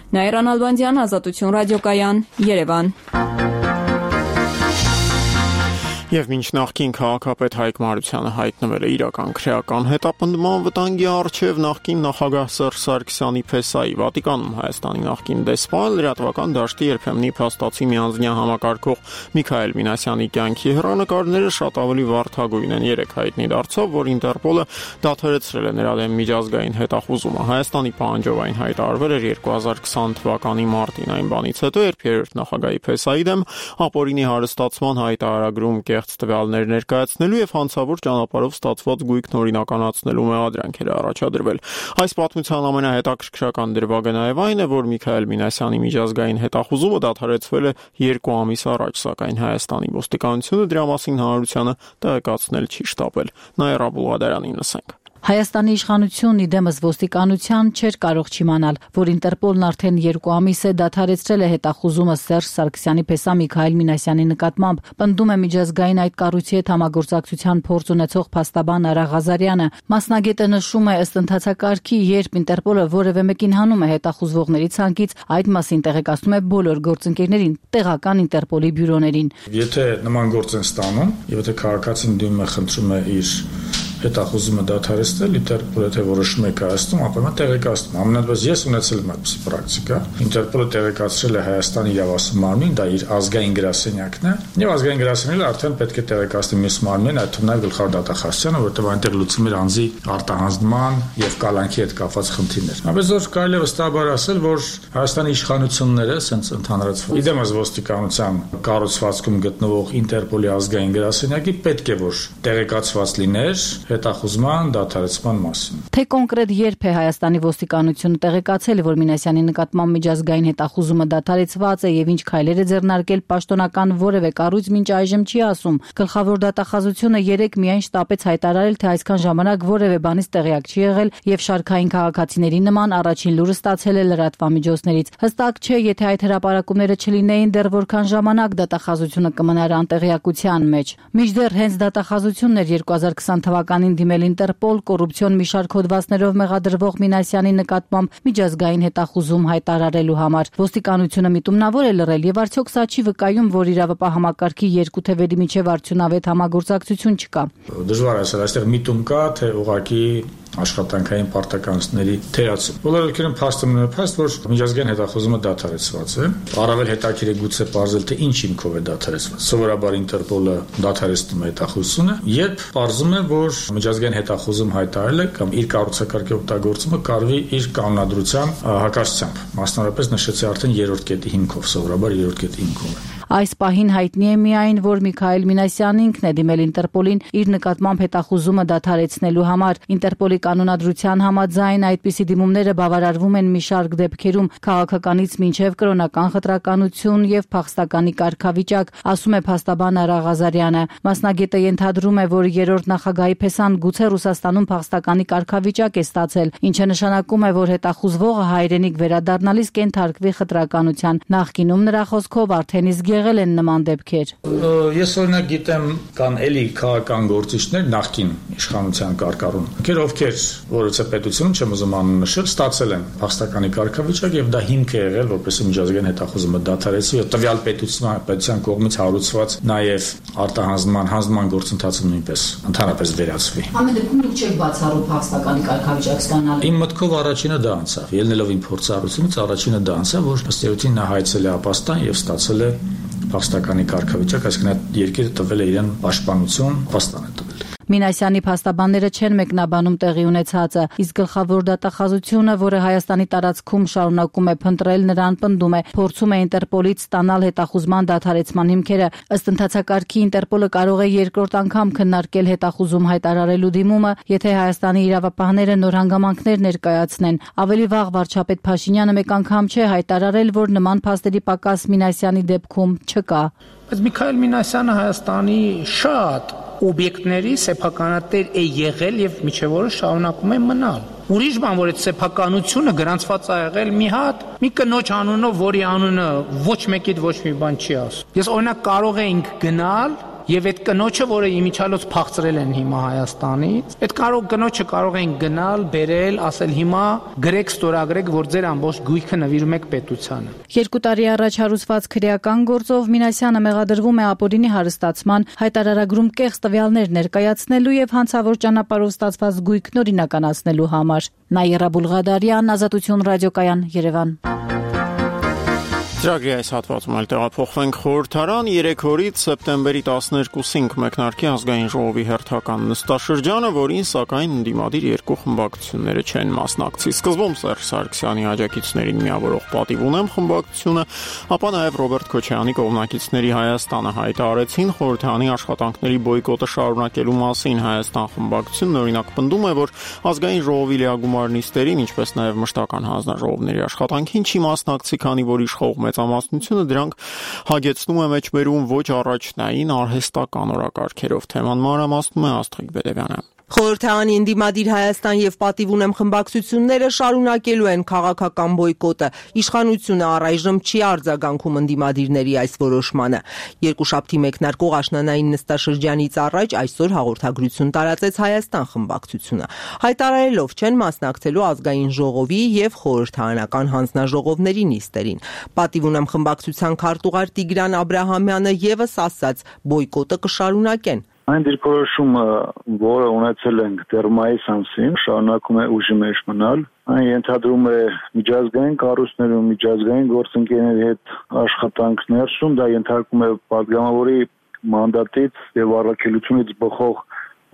Նաիրան Ալբանդյան, Ազատություն ռադիոկայան, Երևան։ Եվ մինչ նախկին քաղաքապետ Հայկ Մարությանը հայտնվել է իրական քրեական հետապնդման վտանգի առջև, նախկին նախագահ Սերժ Սարգսյանի փեսայի Վատիկանում Հայաստանի նախկին դեսպան լրատվական դաշտի երբեմնի փաստացի միանձնյա համակարգող Միքայել Մինասյանի կյանքի հեռանկարները շատ ավելի վարդագույն են։ Երեք հայտնի դարձավ, որ Ինտերպոլը դադարեցրել է նրա դեմ միջազգային հետախուզումը։ Հայաստանի պահանջովային հայտարարվել էր երկու հազար քսան թվականի մարտին, այն բանից հետո, երբ երրորդ նախագահի փեսայի դեմ ապօրինի հարստացման հայտարարագրում կեղծ տվյալներ ներկայացնելու եւ հանցավոր ճանապարհով ստացված գույքն օրինականացնելու մեղադրանք էր առաջադրվել։ Այս պատմության ամենահետաքրքրական դրվագը նաեւ այն է, որ Միքայել Մինասյանի միջազգային հետախուզումը դադարեցվել է երկու ամիս առաջ, սակայն Հայաստանի ոստիկանությունը դրա մասին հանրությանը տեղեկացնել չի շտապել։ Նաիրա Բուլղադարանին լսենք։ Հայաստանի իշխանությունն իդեմս ոստիկանության չէր կարող չիմանալ, որ Ինտերպոլն արդեն երկու ամիս է դադարեցրել է հետախուզումը Սերժ Սարգսյանի փեսա Միքայել Մինասյանի նկատմամբ, պնդում է միջազգային այդ կառույցի հետ համագործակցության փորձ ունեցող փաստաբան Արա Ղազարյանը։ Մասնագետը նշում է, ըստ ընթացակարգի, երբ Ինտերպոլը որևէ մեկին հանում է հետախուզվողների ցանկից, այդ մասին տեղեկացնում է բոլոր գործընկերներին, տեղական Ինտերպոլի բյուրոներին։ Եթե նման գործ են ստանում, եւ եթե քաղաքացին դիմում է, խնդրում է իր հետախուզումը դադարեցնել, Ինտերպոլը թե որոշում է կայացնում, ապա նա տեղեկացնում։ Ամենատեղից ես ունեցել եմ այդպիսի պրակտիկա։ Ինտերպոլը տեղեկացրել է Հայաստանի իրավասու մարմին, դա իր ազգային գրասենյակն է, եւ ազգային գրասենյակը արդեն պետք է տեղեկացնի մյուս մարմինին, այդ թվում նաեւ գլխավոր դատախազությանը, որտեղ այնտեղ լուծում էր անձի արտահանձնման եւ կալանքի հետ կապված խնդիրներ։Ապես որ կարելի է վստահաբար ասել, որ Հայաստանի իշխանությունները սենց ընդհանրացվում։ Իդեմս ոստիկանության կառուցվածքում գտնվող Ինտերպոլի ազգային գրասենյակի պետք է որ տեղեկացված լիներ հետախուզման դադարեցման մասին։ Թե կոնկրետ երբ է Հայաստանի ոստիկանությունը տեղեկացել, որ Մինասյանի նկատմամբ միջազգային հետախուզումը դադարեցված է եւ ինչ քայլեր է ձեռնարկել պաշտոնական որևէ կառույց, մինչ այժմ չի ասում։ Գլխավոր դատախազությունը երեք միայն շտապեց հայտարարել, թե այսքան ժամանակ որևէ բանից տեղյակ չի եղել եւ շարքային քաղաքացիների նման առաջին լուրը ստացել է լրատվամիջոցներից։ Հստակ չէ, եթե այդ հրապարակումները չլինեին, դեռ որքան ժամանակ դատախազությունը կմնար անտեղյակության մեջ։ Մինչդեռ հենց դատախազությունն էր երկու հազար քսան թվականին դիմել Ինտերպոլ կոռուպցիոն մի շարք հոդվածներով մեղադրվող Մինասյանի նկատմամբ միջազգային հետախուզում հայտարարելու համար։ Ոստիկանությունը միտումնավոր է լռել եւ արդյոք սա չի վկայում, որ իրավապահ համակարգի երկու թևերի միջև արդյունավետ համագործակցություն չկա։ Դժվար է ասել, այստեղ միտում կա, թե ուղղակի աշխատանքային պարտականությունների թերացում։ Բոլոր ովքեր փաստում են փաստ, որ միջազգային հետախուզումը դադարեցված է։ Առավել հետաքրքիր է գուցե բարձել, թե ինչ հիմքով է դադարեցված։ Սովորաբար Ինտերպոլը դադարեցնում է հետախուզությունը, երբ բարձում է, որ միջազգային հետախուզում հայտարարել է կամ իր կառուցակարգի օգտագործումը կարվի իր կանոնադրության հակասությամբ։ Մասնավորապես նշեցի արդեն երրորդ կետի հիմքով, սովորաբար երրորդ կետի հիմքով է։ Այս պահին հայտնի է միայն, որ Միքայել Մինասյանն ինքն է դիմել Ինտերպոլին իր նկատմամբ հետախուզումը դադարեցնելու համար։ Ինտերպոլի կանոնադրության համաձայն այդպիսի դիմումները բավարարվում են մի շարք դեպքերում քաղաքականից մինչև կրոնական խտրականություն եւ փախստականի կարգավիճակ, ասում է փաստաբան Արա Ղազարյանը։ Մասնագետը ենթադրում է, որ երրորդ նախագահի փեսան գուցե Ռուսաստանում փախստականի կարգավիճակ է ստացել, ինչը նշանակում է, որ հետախուզվողը հայրենիք վերադառնալիս կենթարկվի խտրականության։ Նախկինում նրա խոսքով արդեն իսկ եղել են նման դեպքեր։ Ես օրինակ գիտեմ կան էլի քաղաքական գործիչներ նախկին իշխանության կարգառում, ովքեր ովքեր որոցե պետությունում չեմ ուզում անուն նշել, ստացել են փախստականի կարգավիճակ եւ դա հիմք է եղել, որպեսզի միջազգային հետախուզումը դադարեցվի եւ տվյալ պետության պետության կողմից հարուցված նաեւ արտահանձնման հանձնման գործընթացը նույնպես ընդհանրապես վերացվի։ Ամեն դեպքում դուք չեք բացառում փախստականի կարգավիճակ ստանալու։ Իմ մտքով առաջինը դա անցավ, ելնելով իմ փորձառությունից առաջինը դա անցավ, որ ըստ էության նա հայցել է ապաստան եւ ստացել է փախստականի կարգավիճակ, այսինքն այդ երկիրը տվել է իրեն պաշտպանություն, ապաստան է տվել։ Մինասյանի փաստաբանները չեն մեկնաբանում տեղի ունեցածը, իսկ գլխավոր դատախազությունը, որը Հայաստանի տարածքում շարունակում է փնտրել նրան, պնդում է, փորձում է Ինտերպոլից ստանալ հետախուզման դադարեցման հիմքերը։ Ըստ ընթացակարգի Ինտերպոլը կարող է երկրորդ անգամ քննարկել հետախուզում հայտարարելու դիմումը, եթե Հայաստանի իրավապահները նոր հանգամանքներ ներկայացնեն։ Ավելի վաղ վարչապետ Փաշինյանը մեկ անգամ չէ հայտարարել, որ նման փաստերի պակաս Մինասյանի դեպքում չկա։ Բայց Միքայել Մինասյանը Հայաստանի շատ օբյեկտների սեփականատեր է եղել եւ միջև օրը շարունակում է մնալ։ Ուրիշ բան, որ այդ սեփականությունը գրանցված է եղել մի հատ մի կնոջ անունով, որի անունը ոչ մեկիդ ոչ մի բան չի ասում։ Ես օրինակ կարող էինք գնալ եւ այդ կնոջը, որը իմիջիալոց փախցրել են հիմա Հայաստանից, այդ կարող կնոջը կարող են գնալ, բերել, ասել հիմա գրեք, ստորագրեք, որ ձեր ամբողջ գույքը նվիրում եք պետությանը։ Երկու տարի առաջ հարուցված քրեական գործով Մինասյանը մեղադրվում է ապօրինի հարստացման, հայտարարագրում կեղծ տվյալներ ներկայացնելու եւ հանցավոր ճանապարհով ստացված գույքն օրինականացնելու համար։ Նաիրա Բուլղադարյան, Ազատություն ռադիոկայան, Երևան։ Ծրագրի այս հատվածում էլ տեղափոխվենք խորհրդարան երեք օրից սեպտեմբերի տասներկուսին կմեկնարկի ազգային ժողովի հերթական նստաշրջանը, որին սակայն ընդդիմադիր երկու խմբակցությունները չեն մասնակցի։ Սկզբում Սերժ Սարգսյանի աջակիցներին միավորող պատիվ ունեմ խմբակցությունը, ապա նաև Ռոբերտ Քոչարյանի կողմնակիցների Հայաստանը հայտարարեցին խորհրդարանի աշխատանքների բոյկոտը շարունակելու մասին։ Հայաստան խմբակցությունն օրինակ պնդում է, որ ազգային ժողովի լիագումար նիստերին, ինչպես նաև մշտական հանձնաժողովների աշխատանքին չի մասնակցի, քանի որ իշխող մեծամասնությունը դրանք հագեցնում է մեջբերում ոչ առաջնային արհեստական օրակարգերով։ Թեման մանրամասնում է Աստղիկ Բեդևյանը։ Խորհրդարանի ընդդիմադիր Հայաստան եւ պատիվ ունեմ խմբակցությունները շարունակելու են քաղաքական բոյկոտը։ Իշխանությունը առայժմ չի արձագանքում ընդդիմադիրների այս որոշմանը։ Երկուշաբթի մեկնարկող աշնանային նստաշրջանից առաջ այսօր հաղորդագրություն տարածեց Հայաստան խմբակցությունը, հայտարարելով չեն մասնակցելու ազգային ժողովի եւ խորհրդարանական հանձնաժողովների նիստերին։ Պատիվ ունեմ խմբակցության քարտուղար Տիգրան Աբրահամյանը եւս ասաց, բոյկոտը կշարունակեն։ Այն դիրքորոշումը, որը ունեցել ենք դեռ մայիս ամսին, շարունակում է ուժի մեջ մնալ։ Այն ենթադրում է միջազգային կառույցներում, միջազգային գործընկերների հետ աշխատանք ներսում, դա ենթարկում է падգամավորի մանդատից եւ առաքելությունից բխող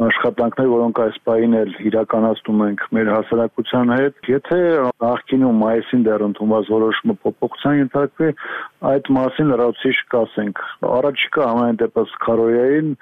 աշխատանքներ, որոնք այս պահին էլ իրականացնում ենք մեր հասարակության հետ։ Եթե նախկինում մայիսին դեռ ընդունված որոշումը փոփոխության ենթարկվի, այդ մասին լրացուցիչ կասենք։ Առաջիկա ամեն դեպս քարոյային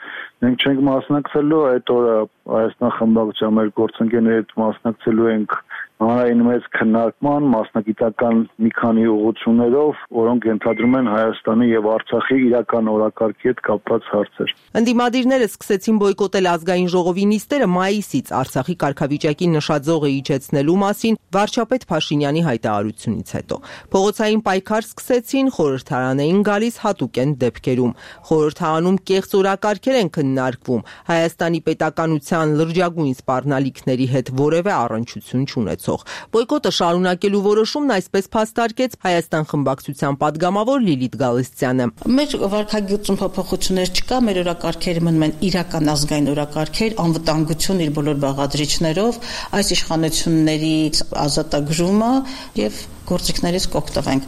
մենք չենք մասնակցելու, այդ օրը Հայաստան խմբակցության մեր գործընկերների հետ մասնակցելու ենք հանրային մեծ քննարկման, մասնագիտական մի քանի ուղղություններով, որոնք ենթադրում են Հայաստանի եւ Արցախի իրական օրակարգի հետ կապված հարցեր։ Ընդդիմադիրները սկսեցին բոյկոտել ազգային ժողովի նիստերը մայիսից Արցախի կարգավիճակի նշաձողը իջեցնելու մասին վարչապետ Փաշինյանի հայտարարությունից հետո։ Փողոցային պայքար սկսեցին, խորհրդարան էին գալիս հատուկեն դեպքերում։ Խորհրդարանում կեղծ օրակարգեր են քննարկվում, Հայաստանի պետականության լրջագույն սպառնալիքների հետ որևէ առնչություն չունեցող։ Բոյկոտը շարունակելու որոշումն այսպես փաստարկեց Հայաստան խմբակցության падգամավոր Լիլիթ Գալստյանը։ Մեր վարքագծում փոփոխություններ չկա, մեր օրակարգերը մնում են իրական ազգային օրակարգեր, անվտանգություն իր բոլոր բաղադրիչներով, այս իշխանությունների ազատագրումը եւ գործիքներից կօգտվենք։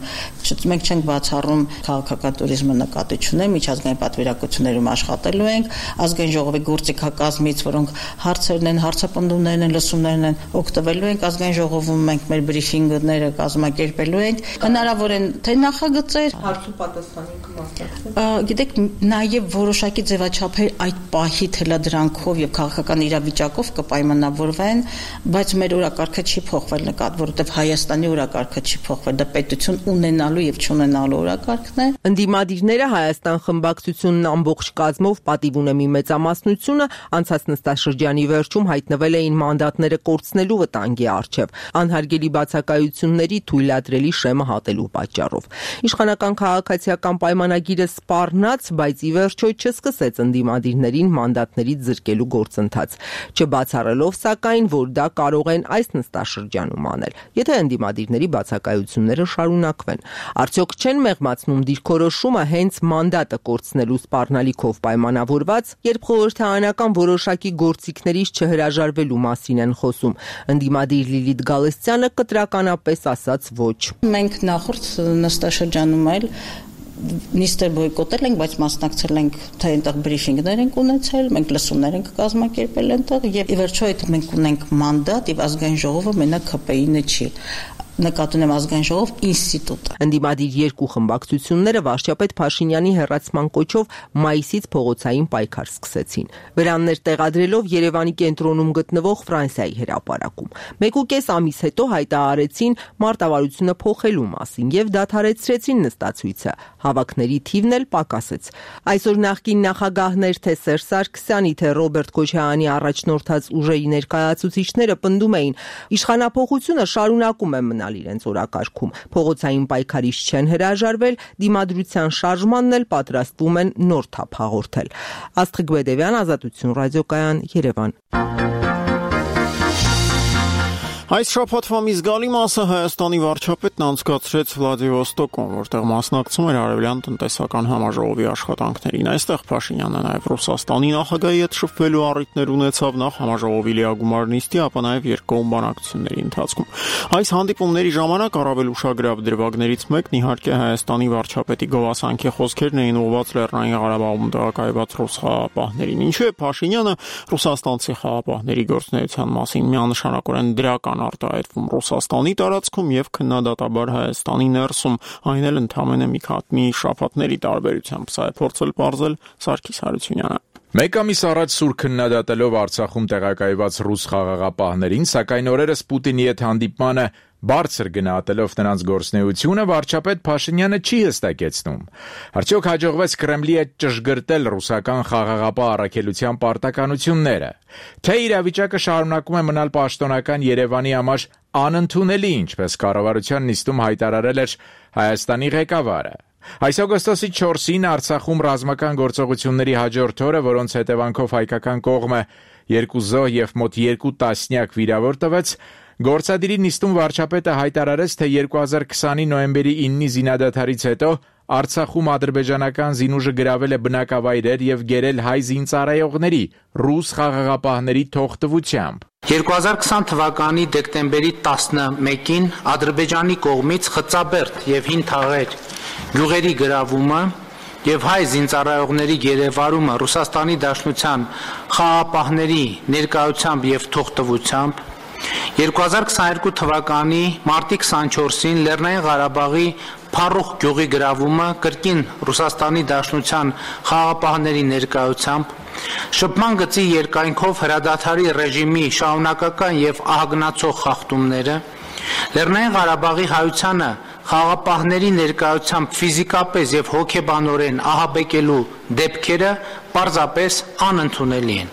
Մենք չենք բացառում քաղաքական туриզմը նկատի ունենք, միջազգային պատվիրակություններում աշխատելու ենք, ազգային ժողովի գործիքակազմից, որոնք հարցերն են, հարցապնդումներն են, լսումներն են, օգտվելու ենք, ազգային ժողովում մենք մեր բրիֆինգները կազմակերպելու ենք։ Հնարավոր են թե նախագծեր, հարցու պատասխանի կմասնակցել։ Գիտեք, նաև որոշակի ձևաչափեր այդ պահի թելադրանքով եւ քաղաքական իրավիճակով կպայմանավորվեն, բայց մեր օրակարգը չի փոխվել նկատ, որովհետեւ Հայաստանի օրակարգը չի փոխվել, դա պետություն ունենալու եւ չունենալու օրակարգն է։ Ընդդիմադիրները Հայաստան խմբակցությունն ամբողջ կազմով պատիվ ունեմի մեծամասնությունը անցած նստաշրջանի վերջում հայտնվել էին մանդատները կորցնելու վտանգի առջև, անհարգելի բացակայությունների թույլատրելի շեմը հատելու պատճառով։ Իշխանական քաղաքացիական պայմանագիրը սպառնաց, բայց ի վերջո չսկսեց ընդդիմադիրներին մանդատներից զրկելու գործընթաց, չբացառելով սակայն, որ դա կարող են այս նստաշրջանում անել, եթե ընդդիմադիրների բացակայությունները շարունակվեն։ Արդյոք չեն մեղմացնում դիրքորոշումը հենց մանդատը կորցնելու սպառնալիքով պայմանավորված, երբ խորհրդարանական որոշակի գործիքներից չհրաժարվելու մասին են խոսում։ Ընդդիմադիր Լիլիթ Գալստյանը կտրականապես ասաց ոչ։ Մենք նախորդ նստաշրջանում էլ նիստեր բոյկոտել ենք, բայց մասնակցել ենք, թե այնտեղ բրիֆինգներ ենք ունեցել, մենք լսումներ ենք կազմակերպել այնտեղ եւ ի վերջո այդ մենք ունենք մանդատ եւ ազգային ժողովը մենակ ՀՊԻ-ն չի։ Նկատի ունեմ ազգային ժողով ինստիտուտը։ Ընդդիմադիր երկու խմբակցությունները վարչապետ Փաշինյանի հեռացման կոչով մայիսից փողոցային պայքար սկսեցին։ Վրաններ տեղադրելով Երևանի կենտրոնում գտնվող Ֆրանսիայի հրապարակում։ Մեկուկես ամիս հետո հայտարարեցին մարտավարությունը փոխելու մասին եւ դադարեցրեցին նստացույցը։ Հավաքների թիվն էլ պակասեց։ Այսօր նախկին նախագահներ թե Սերժ Սարգսյանի, թե Ռոբերտ Քոչարյանի առաջնորդած ուժերի ներկայացուցիչները պնդում էին, իշխանափոխությունը շարունակում է մնալ մնալ իրենց օրակարգում։ Փողոցային պայքարից չեն հրաժարվել, դիմադրության շարժմանն էլ պատրաստվում են նոր թափ հաղորդել։ Աստղիկ Բեդևյան, Ազատություն ռադիոկայան, Երևան։ Այս շաբաթվա մի զգալի մասը Հայաստանի վարչապետն անցկացրեց Վլադիվոստոկում, որտեղ մասնակցում էր Արևելյան տնտեսական համաժողովի աշխատանքներին։ Այստեղ Փաշինյանը նաև Ռուսաստանի նախագահի հետ շփվելու առիթներ ունեցավ նախ համաժողովի լիագումար նիստի, ապա նաև երկկողմ բանակցությունների ընթացքում։ Այս հանդիպումների ժամանակ առավել ուշագրավ դրվագներից մեկն իհարկե Հայաստանի վարչապետի գովասանքի խոսքերն էին ուղղված Լեռնային Ղարաբաղում տեղակայված ռուս խաղաղապահներին։ Ինչու է Փաշինյանը ռուսաստանցի խաղաղապահների գործունեության մասին միանշանակորեն դրական արտահայտվում Ռուսաստանի տարածքում եւ քննադատաբար Հայաստանի ներսում, այն էլ ընդամենը մի քանի շաբաթների տարբերությամբ, սա է փորձել պարզել Սարգիս Հարությունյանը։ Մեկ ամիս առաջ սուր քննադատելով Արցախում տեղակայված ռուս խաղաղապահներին, սակայն օրերս Պուտինի հետ հանդիպմանը բարձր գնահատելով նրանց գործունեությունը, վարչապետ Փաշինյանը չի հստակեցնում. Արդյոք հաջողվեց Կրեմլի հետ ճշգրտել ռուսական խաղաղապահ առաքելության պարտականությունները, թե իրավիճակը շարունակում է մնալ պաշտոնական Երևանի համար անընդունելի, ինչպես կառավարության նիստում հայտարարել էր Հայաստանի ղեկավարը։ Այս օգոստոսի չորսին Արցախում ռազմական գործողությունների հաջորդ օրը, որոնց հետևանքով հայկական կողմը երկու զոհ եւ մոտ երկու տասնյակ վիրավոր տվեց, գործադիրի նիստում վարչապետը հայտարարեց, թե երկու հազար քսանի նոյեմբերի իննի զինադադարից հետո Արցախում ադրբեջանական զինուժը գրավել է բնակավայրեր եւ գերել հայ զինծառայողների ռուս խաղաղապահների թողտվությամբ։ երկու հազար քսան թվականի դեկտեմբերի տասնմեկին Ադրբեջանի կողմից Խծաբերդ եւ Հին Թաղեր գյուղերի գրավումը եւ հայ զինծառայողների գերեվարումը Ռուսաստանի Դաշնության խաղաղապահների ներկայությամբ եւ թողտվությամբ, երկու հազար քսաներկու թվականի մարտի քսանչորսին Լեռնային Ղարաբաղի Փարուխ գյուղի գրավումը կրկին Ռուսաստանի Դաշնության խաղաղապահների ներկայությամբ, շփման գծի երկայնքով հրադադարի ռեժիմի շարունակական եւ ահագնացող խախտումները, Լեռնային Ղարաբաղի հայությանը խաղաղապահների ներկայությամբ ֆիզիկապես եւ հոգեբանորեն ահաբեկելու դեպքերը պարզապես անընդունելի են։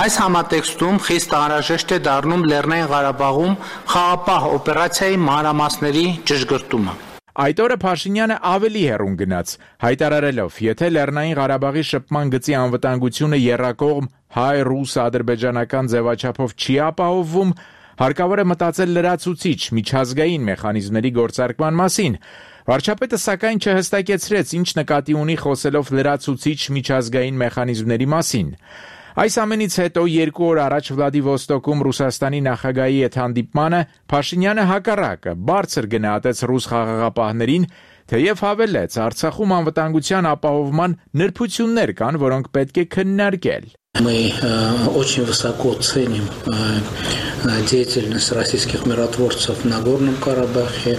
Այս համատեքստում խիստ անհրաժեշտ է դառնում Լեռնային Ղարաբաղում խաղաղապահ օպերացիայի մանրամասների ճշգրտումը։ Այդ օրը Փաշինյանը ավելի հեռուն գնաց, հայտարարելով, եթե Լեռնային Ղարաբաղի շփման գծի անվտանգությունը եռակողմ հայ-ռուս-ադրբեջանական ձևաչափով չի ապահովվում, հարկավոր է մտածել լրացուցիչ միջազգային մեխանիզմների գործարկման մասին։ Վարչապետը սակայն չհստակեցրեց, ինչ նկատի ունի խոսելով լրացուցիչ միջազգային մեխանիզմների մասին։ Այս ամենից հետո երկու օր առաջ Վլադիվոստոկում Ռուսաստանի նախագահի հետ հանդիպմանը Փաշինյանը հակառակը բարձր գնահատեց ռուս խաղաղապահներին, թեև հավելեց, Արցախում անվտանգության ապահովման նրբություններ կան, որոնք պետք է քննարկել։ Мы очень высоко ценим деятельность российских миротворцев на Горном Карабахе.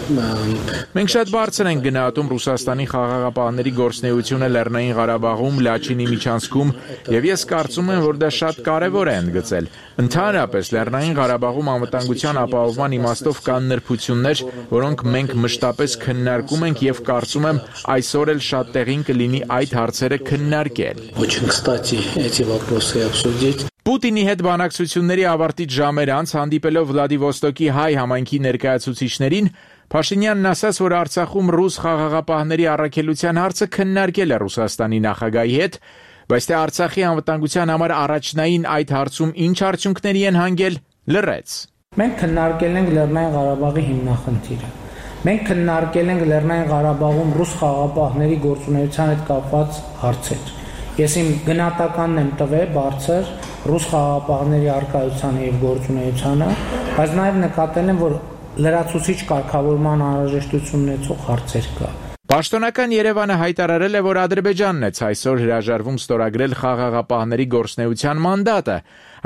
Մենք շատ բարձր ենք գնահատում Ռուսաստանի խաղաղապահների գործունեությունը Լեռնային Ղարաբաղում, Լաչինի միջանցքում, եւ ես կարծում եմ, որ դա շատ կարեւոր է ընդգծել։ Ընդհանրապես Լեռնային Ղարաբաղում անվտանգության ապահովման իմաստով կան նրբություններ, որոնք մենք մշտապես քննարկում ենք եւ կարծում եմ այսօր էլ շատ տեղին կլինի այդ հարցերը քննարկել։ Очень кстати эти вопросы обсудить. Պուտինի հետ բանակցությունների ավարտից ժամեր անց հանդիպելով Վլադիվոստոկի հայ համայնքի ներկայացուցիչներին, Փաշինյանն ասաց, որ Արցախում ռուս խաղաղապահների առաքելության հարցը քննարկել է Ռուսաստանի նախագահի հետ, բայց թե Արցախի անվտանգության համար առաջնային այդ հարցում ինչ արդյունքների են հանգել, լռեց։ Մենք քննարկել ենք Լեռնային Ղարաբաղի հիմնախնդիրը։ Մենք քննարկել ենք Լեռնային Ղարաբաղում ռուս խաղաղապահների գործունեության հետ կապված հարցեր։ Ես իմ գնահատականն եմ տվել բարձր ռուս խաղաղապահների առկայությանը եւ գործունեությանը, բայց նաեւ նկատել եմ, որ լրացուցիչ կարգավորման անհրաժեշտություն ունեցող հարցեր կա։ Պաշտոնական Երևանը հայտարարել է, որ Ադրբեջանն է այսօր հրաժարվում ստորագրել խաղաղապահների գործունեության մանդատը,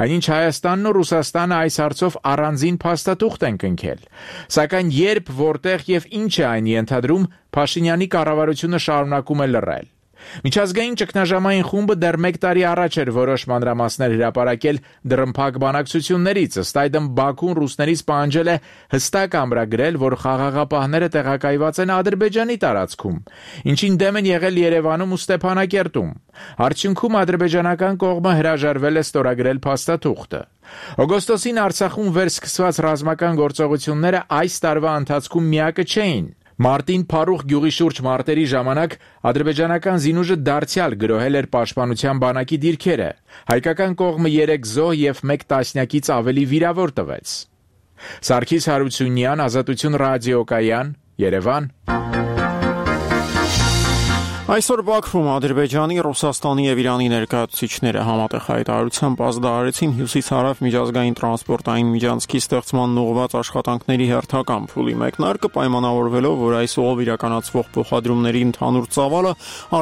այնինչ Հայաստանն ու Ռուսաստանը այս հարցով առանձին փաստաթուղթ են կնքել։ Սակայն երբ, որտեղ եւ ինչ է այն ենթադրում, Փաշինյանի կառավարությունը շարունակում է լռել։ Միջազգային ճգնաժամային խումբը դեռ մեկ տարի առաջ էր որոշ մանրամասներ հրապարակել դռնփակ բանակցություններից, ըստ այդմ Բաքուն ռուսներից պահանջել է հստակ ամրագրել, որ խաղաղապահները տեղակայված են Ադրբեջանի տարածքում, ինչին դեմ են եղել Երևանում ու Ստեփանակերտում։ Արդյունքում ադրբեջանական կողմը հրաժարվել է ստորագրել փաստաթուղթը։ Օգոստոսին Արցախում վերսկսված ռազմական գործողությունները այս տարվա ընթացքում միակը չէին։ Մարտին Փարուխ գյուղի շուրջ մարտերի ժամանակ ադրբեջանական զինուժը դարձյալ գրոհել էր պաշտպանության բանակի դիրքերը։ Հայկական կողմը երեք զոհ եւ մեկ տասնյակից ավելի վիրավոր տվեց։ Սարգիս Հարությունյան, Ազատություն ռադիոկայան, Երևան։ Այսօր Բաքվում Ադրբեջանի, Ռուսաստանի եւ Իրանի ներկայացուցիչները համատեղ հայտարարությամբ ազդարարեցին հյուսիս-հարավ միջազգային տրանսպորտային միջանցքի ստեղծման ուղղված աշխատանքների հերթական փուլի մեկնարկը, պայմանավորվելով, որ այս ուղով իրականացվող փոխադրումների ընդհանուր ծավալը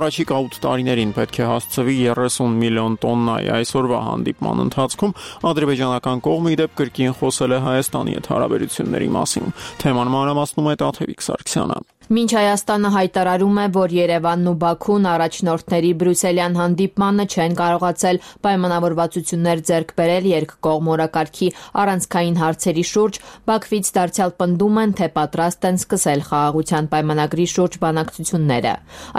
առաջիկա ութ տարիներին պետք է հասցվի երեսուն միլիոն տոննայի։ Այսօրվա հանդիպման ընթացքում ադրբեջանական կողմը իդեպ կրկին խոսել է Հայաստանի հետ հարաբերությունների մասին։ Թեման մանրամասնում է Տաթևիկ Սարգսյանը։ Մինչ Հայաստանը հայտարարում է, որ Երևանն ու Բաքուն առաջնորդների բրյուսելյան հանդիպմանը չեն կարողացել պայմանավորվածություններ ձեռք բերել երկկողմ օրակարգի առանցքային հարցերի շուրջ, Բաքվից դարձյալ պնդում են, թե պատրաստ են սկսել խաղաղության պայմանագրի շուրջ բանակցությունները։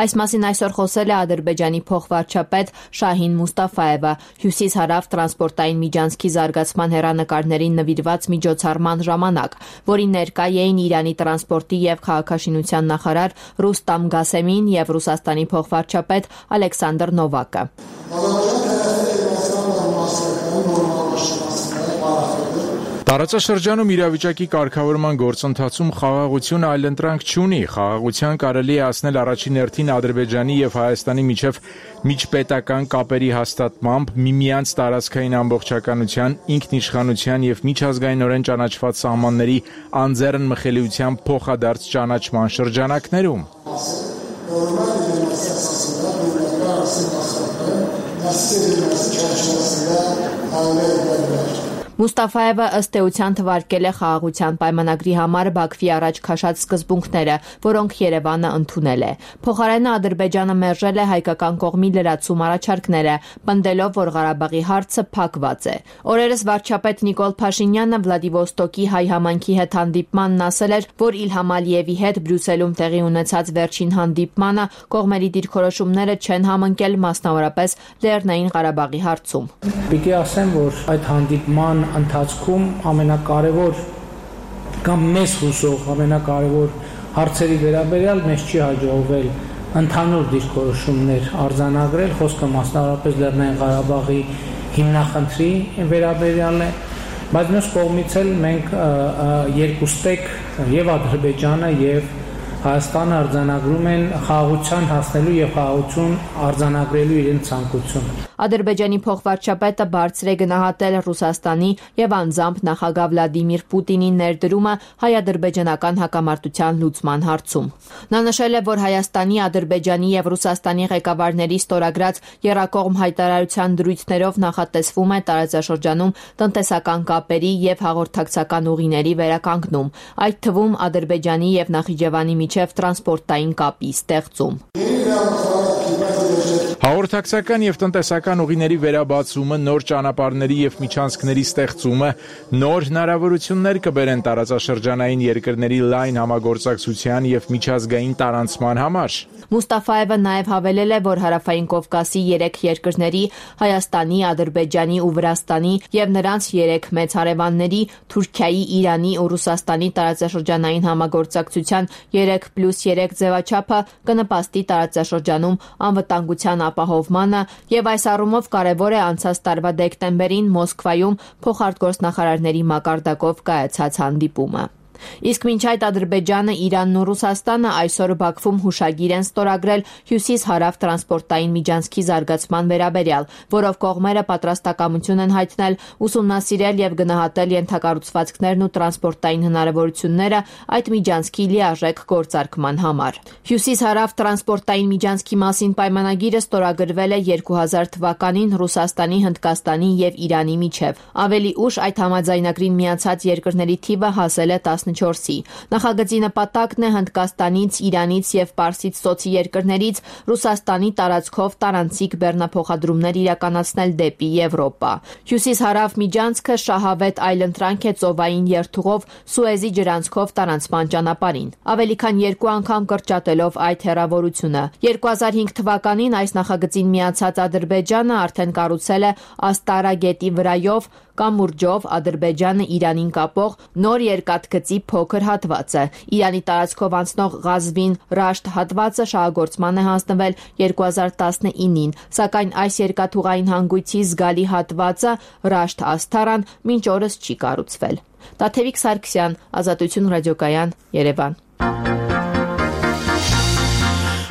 Այս մասին այսօր խոսել է Ադրբեջանի փոխվարչապետ Շահին Մուստաֆայևը հյուսիս-հարավ տրանսպորտային միջանցքի զարգացման հեռանկարներին նվիրված միջոցառման ժամանակ, որին ներկա էին Իրանի տրանսպորտի եւ քաղաքաշինության նախարար Ռուստամ Գասեմին եւ Ռուսաստանի փոխվարչապետ Ալեքսանդր Նովակը։ Տարածաշրջանում իրավիճակի կարգավորման գործընթացում խաղաղությունը այլընտրանք չունի։ Խաղաղության կարելի է հասնել առաջին հերթին Ադրբեջանի եւ Հայաստանի միջև միջպետական կապերի հաստատմամբ, միմյանց տարածքային ամբողջականության, ինքնիշխանության եւ միջազգայինորեն ճանաչված սահմանների անձեռն մխելիության փոխադարձ ճանաչման շրջանակներում։ Մուստաֆայևը ըստ էության թվարկել է խաղաղության պայմանագրի համար Բաքվի առաջ քաշած սկզբունքները, որոնք Երևանը ընդունել է։ Փոխարենը Ադրբեջանը մերժել է հայկական կողմի լրացում առաջարկները, պնդելով, որ Ղարաբաղի հարցը փակված է։ Օրերս վարչապետ Նիկոլ Փաշինյանը Վլադիվոստոկի հայ համայնքի հետ հանդիպմանն ասել էր, որ Իլհամ Ալիևի հետ Բրյուսելում տեղի ունեցած վերջին հանդիպմանը կողմերի դիրքորոշումները չեն համընկել, մասնավորապես Լեռնային Ղարաբաղի հարցում։ Պիտի ասեմ, որ այդ հանդիպման ընթացքում ամենակարևոր կամ մեզ հուսող ամենակարևոր հարցերի վերաբերյալ մեզ չի հաջողվել ընդհանուր դիրքորոշումներ արձանագրել, խոսքը մասնավորապես Լեռնային Ղարաբաղի հիմնախնդրի վերաբերյալ է, բայց մյուս կողմից էլ մենք երկուստեք եւ Ադրբեջանը եւ Հայաստանը արձանագրում են խաղաղության հասնելու եւ խաղաղություն արձանագրելու իրենց ցանկությունը։ Ադրբեջանի փոխվարչապետը բարձր է գնահատել Ռուսաստանի եւ անձամբ նախագահ Վլադիմիր Պուտինի ներդրումը հայ-ադրբեջանական հակամարտության լուծման հարցում։ Նա նշել է, որ Հայաստանի, Ադրբեջանի եւ Ռուսաստանի ղեկավարների ստորագրած եռակողմ հայտարարության դրույթներով նախատեսվում է տարածաշրջանում տնտեսական կապերի եւ հաղորդակցական ուղիների վերականգնում, այդ թվում Ադրբեջանի եւ Նախիջևանի միջև տրանսպորտային կապի ստեղծում։ Հաղորդակցական եւ տնտեսական ուղիների վերաբացումը, նոր ճանապարհների եւ միջանցքների ստեղծումը նոր հնարավորություններ կբերեն տարածաշրջանային երկրների լայն համագործակցության եւ միջազգային տարանցման համար։ Մուստաֆայևը նաեւ հավելել է, որ Հարավային Կովկասի երեք երկրների՝ Հայաստանի, Ադրբեջանի ու Վրաստանի եւ նրանց երեք մեծ հարևանների՝ Թուրքիայի, Իրանի ու Ռուսաստանի տարածաշրջանային համագործակցության երեք պլյուս երեք ձևաչափը կնպաստի տարածաշրջանում անվտանգության ապահովմանը եւ այս առումով կարեւոր է անցած տարվա դեկտեմբերին Մոսկվայում փոխարտգործնախարարների մակարդակով կայացած հանդիպումը։ Իսկ մինչ այդ Ադրբեջանը, Իրանն ու Ռուսաստանը այսօր Բաքվում հուշագիր են ստորագրել հյուսիս-հարավ տրանսպորտային միջանցքի զարգացման վերաբերյալ, որով կողմերը պատրաստակամություն են հայտնել ուսումնասիրել եւ գնահատել ենթակառուցվածքներն ու տրանսպորտային հնարավորությունները այդ միջանցքի լիարժեք գործարկման համար։ Հյուսիս-հարավ տրանսպորտային միջանցքի մասին պայմանագիրը ստորագրվել է երկու հազար թվականին Ռուսաստանի, Հնդկաստանի եւ Իրանի միջև։ Ավելի ուշ այդ համաձայնագրին միացած երկրների թիվը հասել է տասնչորսի։ Նախագծի նպատակն է Հնդկաստանից, Իրանից եւ Պարսից ծոցի երկրներից Ռուսաստանի տարածքով տարանցիկ բեռնափոխադրումներ իրականացնել դեպի Եվրոպա։ Հյուսիս-հարավ միջանցքը շահավետ այլընտրանք է ծովային երթուղով Սուեզի ջրանցքով տարանցման ճանապարհին, ավելի քան երկու անգամ կրճատելով այդ հեռավորությունը։ երկու հազար հինգ թվականին այս նախագծին միացած Ադրբեջանը արդեն կառուցել է Աստարա գետի վրայով կամուրջով Ադրբեջանը Իրանին կապող նոր երկաթգծի փոքր հատվածը։ Իրանի տարածքով անցնող Ղազվին Ռաշտ հատվածը շահագործման է հանձնվել երկու հազար տասնինին, սակայն այս երկաթուղային հանգույցի զգալի հատվածը Ռաշտ Աստարան մինչ օրս չի կառուցվել։ Տաթևիկ Սարգսյան, Ազատություն ռադիոկայան, Երևան։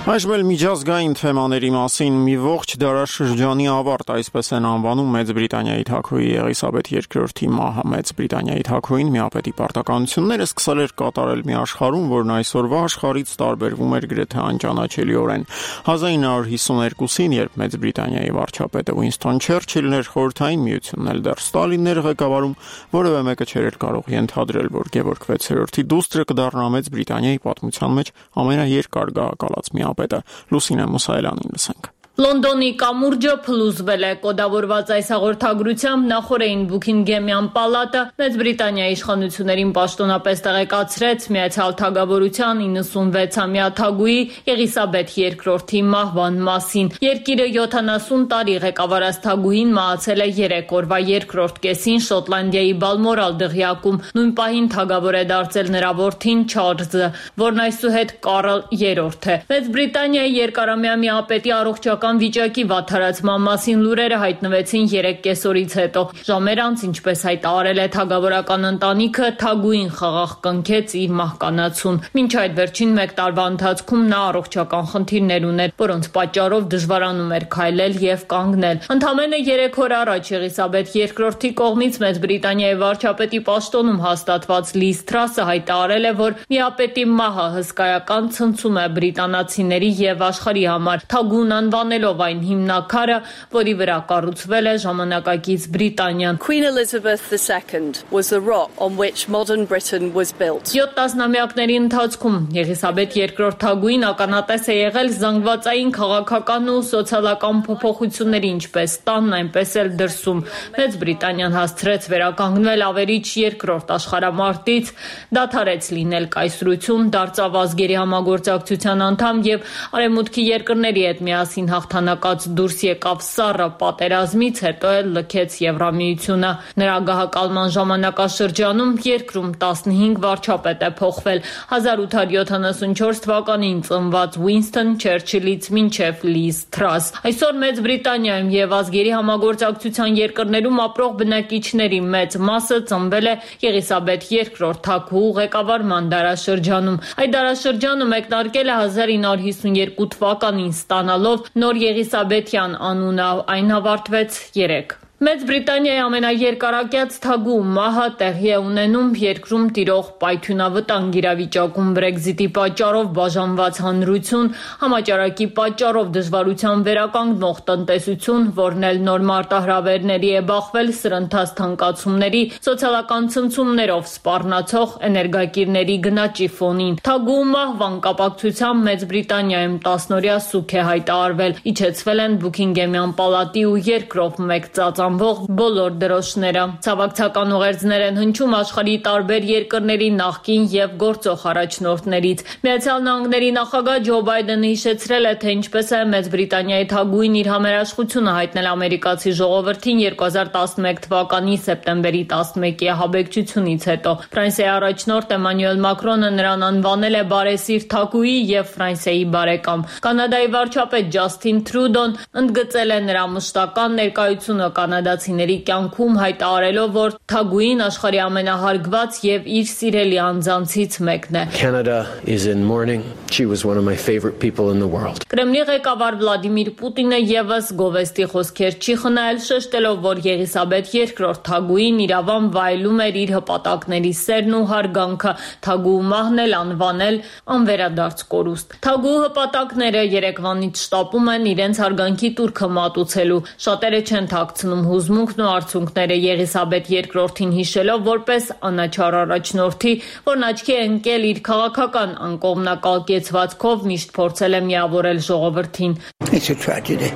Այժմ էլ միջազգային թեմաների մասին մի ողջ դարաշրջանի ավարտ, այսպես են անվանում Մեծ Բրիտանիայի թագուհի Եղիսաբեթ երկրորդի մահը։ Մեծ Բրիտանիայի թագուհին միապետի պարտականությունները սկսել էր կատարել մի աշխարհում, որն այսօրվա աշխարհից տարբերվում էր գրեթե անճանաչելիորեն։ հազար ինը հարյուր հիսուներկուսին, երբ Մեծ Բրիտանիայի վարչապետը Ուինստոն Չերչիլն էր, Խորհրդային Միությունն էլ դեռ Ստալինն էր ղեկավարում, որևէ մեկը չէր կարող ենթադրել, որ Գևորգ վեցերորդի դուստրը կդառնա Մեծ Բրիտանիայի պատմության մեջ ամենաերկար գահակալած միապետը։ Լուսինե Մուսայելյանին լսենք։ Լոնդոնի կամուրջը փլուզվել է։ Կոդավորված այս հաղորդագրությամբ նախորդին Բուքինգեմյան պալատը Մեծ Բրիտանիայի իշխանություններին պաշտոնապես տեղեկացրեց Միացյալ Թագավորության իննսունվեցամյա թագուհի Եղիսաբեթ երկրորդի մահվան մասին։ Երկիրը յոթանասուն տարի ղեկավարած թագուհին մահացել է երեք օրվա երկրորդ կեսին Շոտլանդիայի Բալմորալ դղյակում։ Նույն պահին թագավոր է դարձել նրա որդին Չարլզը, որն այսուհետ Կարլ երրորդ է։ Մեծ Բրիտանիայի երկարամյա միապետի առողջական վիճակի վատթարացման մասին լուրերը հայտնվեցին երեք կեսօրից հետո։ Ժամեր անց, ինչպես հայտարարել է թագավորական ընտանիքը, թագուհին խաղաղ կնքեց իր մահկանացուն։ Մինչ այդ վերջին մեկ տարվա ընթացքում նա առողջական խնդիրներ ուներ, որոնց պատճառով դժվարանում էր քայլել եւ կանգնել։ Ընդամենը երեք օր առաջ Եղիսաբեթ երկրորդի կողմից Մեծ Բրիտանիայի վարչապետի պաշտոնում հաստատված Լիզ Թրասը հայտարարել է, որ միապետի մահը հսկայական ցնցում է բրիտանացիների եւ աշխարհի համար։ Թագուհուն անվանել ով այն հիմնակարը, որի վրա կառուցվել է ժամանակակից Բրիտանիան։ Queen Elizabeth the Second was the rock on which modern Britain was built. Յոթ տասնամյակների ընթացքում Եղիսաբեթ երկրորդ թագուհին ականատես է եղել զանգվածային քաղաքական ու սոցիալական փոփոխությունների, ինչպես տանն, այնպես էլ դրսում։ Մեծ Բրիտանիան հասցրեց վերականգնվել ավերիչ երկրորդ աշխարհամարտից, դադարեց լինել կայսրություն, դարձավ ազգերի համագործակցության անդամ եւ արևմուտքի երկրների հետ միասին հաղթանակած դուրս եկավ սառը պատերազմից, հետո էլ լքեց Եվրամիությունը։ Նրա գահակալման ժամանակաշրջանում երկրում տասնհինգ վարչապետ է փոխվել։ հազար ութ հարյուր յոթանասունչորս թվականին ծնված Ուինստոն Չերչիլից մինչև Լիզ Թրաս։ Այսօր Մեծ Բրիտանիայում եւ ազգերի համագործակցության երկրներում ապրող բնակիչների մեծ մասը ծնվել է Եղիսաբեթ երկրորդ թագուհու ղեկավարման դարաշրջանում։ Այդ դարաշրջանը մեկնարկել է հազար ինը հարյուր հիսունյերկու թվականին ստանալով նոր Եղիսաբեթյան անունը, այն ավարտվեց երեկ։ Մեծ Բրիտանիայի ամենաերկարակյաց թագուհու մահը տեղի է ունենում երկրում տիրող պայթյունավտանգ իրավիճակում Բրեքզիտի պատճառով բաժանված հանրություն, համաճարակի պատճառով դժվարության վերականգնող տնտեսություն, որն էլ նոր մարտահրավերների է բախվել սրընթաց թանկացումների, սոցիալական ցնցումներով սպառնացող էներգակիրների գնաճի ֆոնին։ Թագուհու մահվան կապակցությամբ Մեծ Բրիտանիայում տասնօրյա սուգ է հայտարարվել, իջեցվել են Բուքինգեմյան պալատի ու երկրով մեկ ծածան բոլոր դրոշները։ Ցավակցական ուղերձներ են հնչում աշխարհի տարբեր երկրների նախկին եւ գործող առաջնորդներից։ Միացյալ Նահանգների նախագահ Ջո Բայդենը հիշեցրել է, թե ինչպես է Մեծ Բրիտանիայի թագուհին իր համերաշխությունը հայտնել ամերիկացի ժողովրդին երկու հազար տասնմեկ թվականի սեպտեմբերի տասնմեկի ահաբեկչությունից հետո։ Ֆրանսիայի առաջնորդ Էմանուել Մակրոնը նրան անվանել է բարեսիրտ թագուհի եւ Ֆրանսիայի բարեկամ։ Կանադայի վարչապետ Ջասթին Թրուդոն ընդգծել է նրա մշտական ներկայությունը կանադացիների կյանքում, հայտարարելով, որ թագուհին աշխարհի ամենահարգված եւ իր սիրելի անձանցից մեկն է։ Canada is in mourning. She was one of my favorite people in the world. Կրեմլի ղեկավար Վլադիմիր Պուտինը եւս գովեստի խոսքեր չի խնայել, շեշտելով, որ Եղիսաբեթ երկրորդ թագուհին իրավամբ վայելում էր իր հպատակների սերն ու հարգանքը, թագուհու մահն էլ անվանել անվերադարձ կորուստ։ Թագուհու հպատակները երեկվանից շտապում են իրենց հարգանքի տուրքը մատուցելու։ Շատերը չեն թաքցնում հուզմունքն ու արդյունքները Եղիսաբեթ երկրորդին հիշելով որպես անաչառ առաջնորդի, որն աչքի է ընկել իր քաղաքական անկողմնակալ կեցվածքով, միշտ փորձել է միավորել ժողովրդին։ It's a tragedy.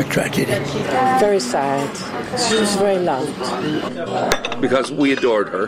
A tragedy. Very sad. She was very loved. Because we adored her.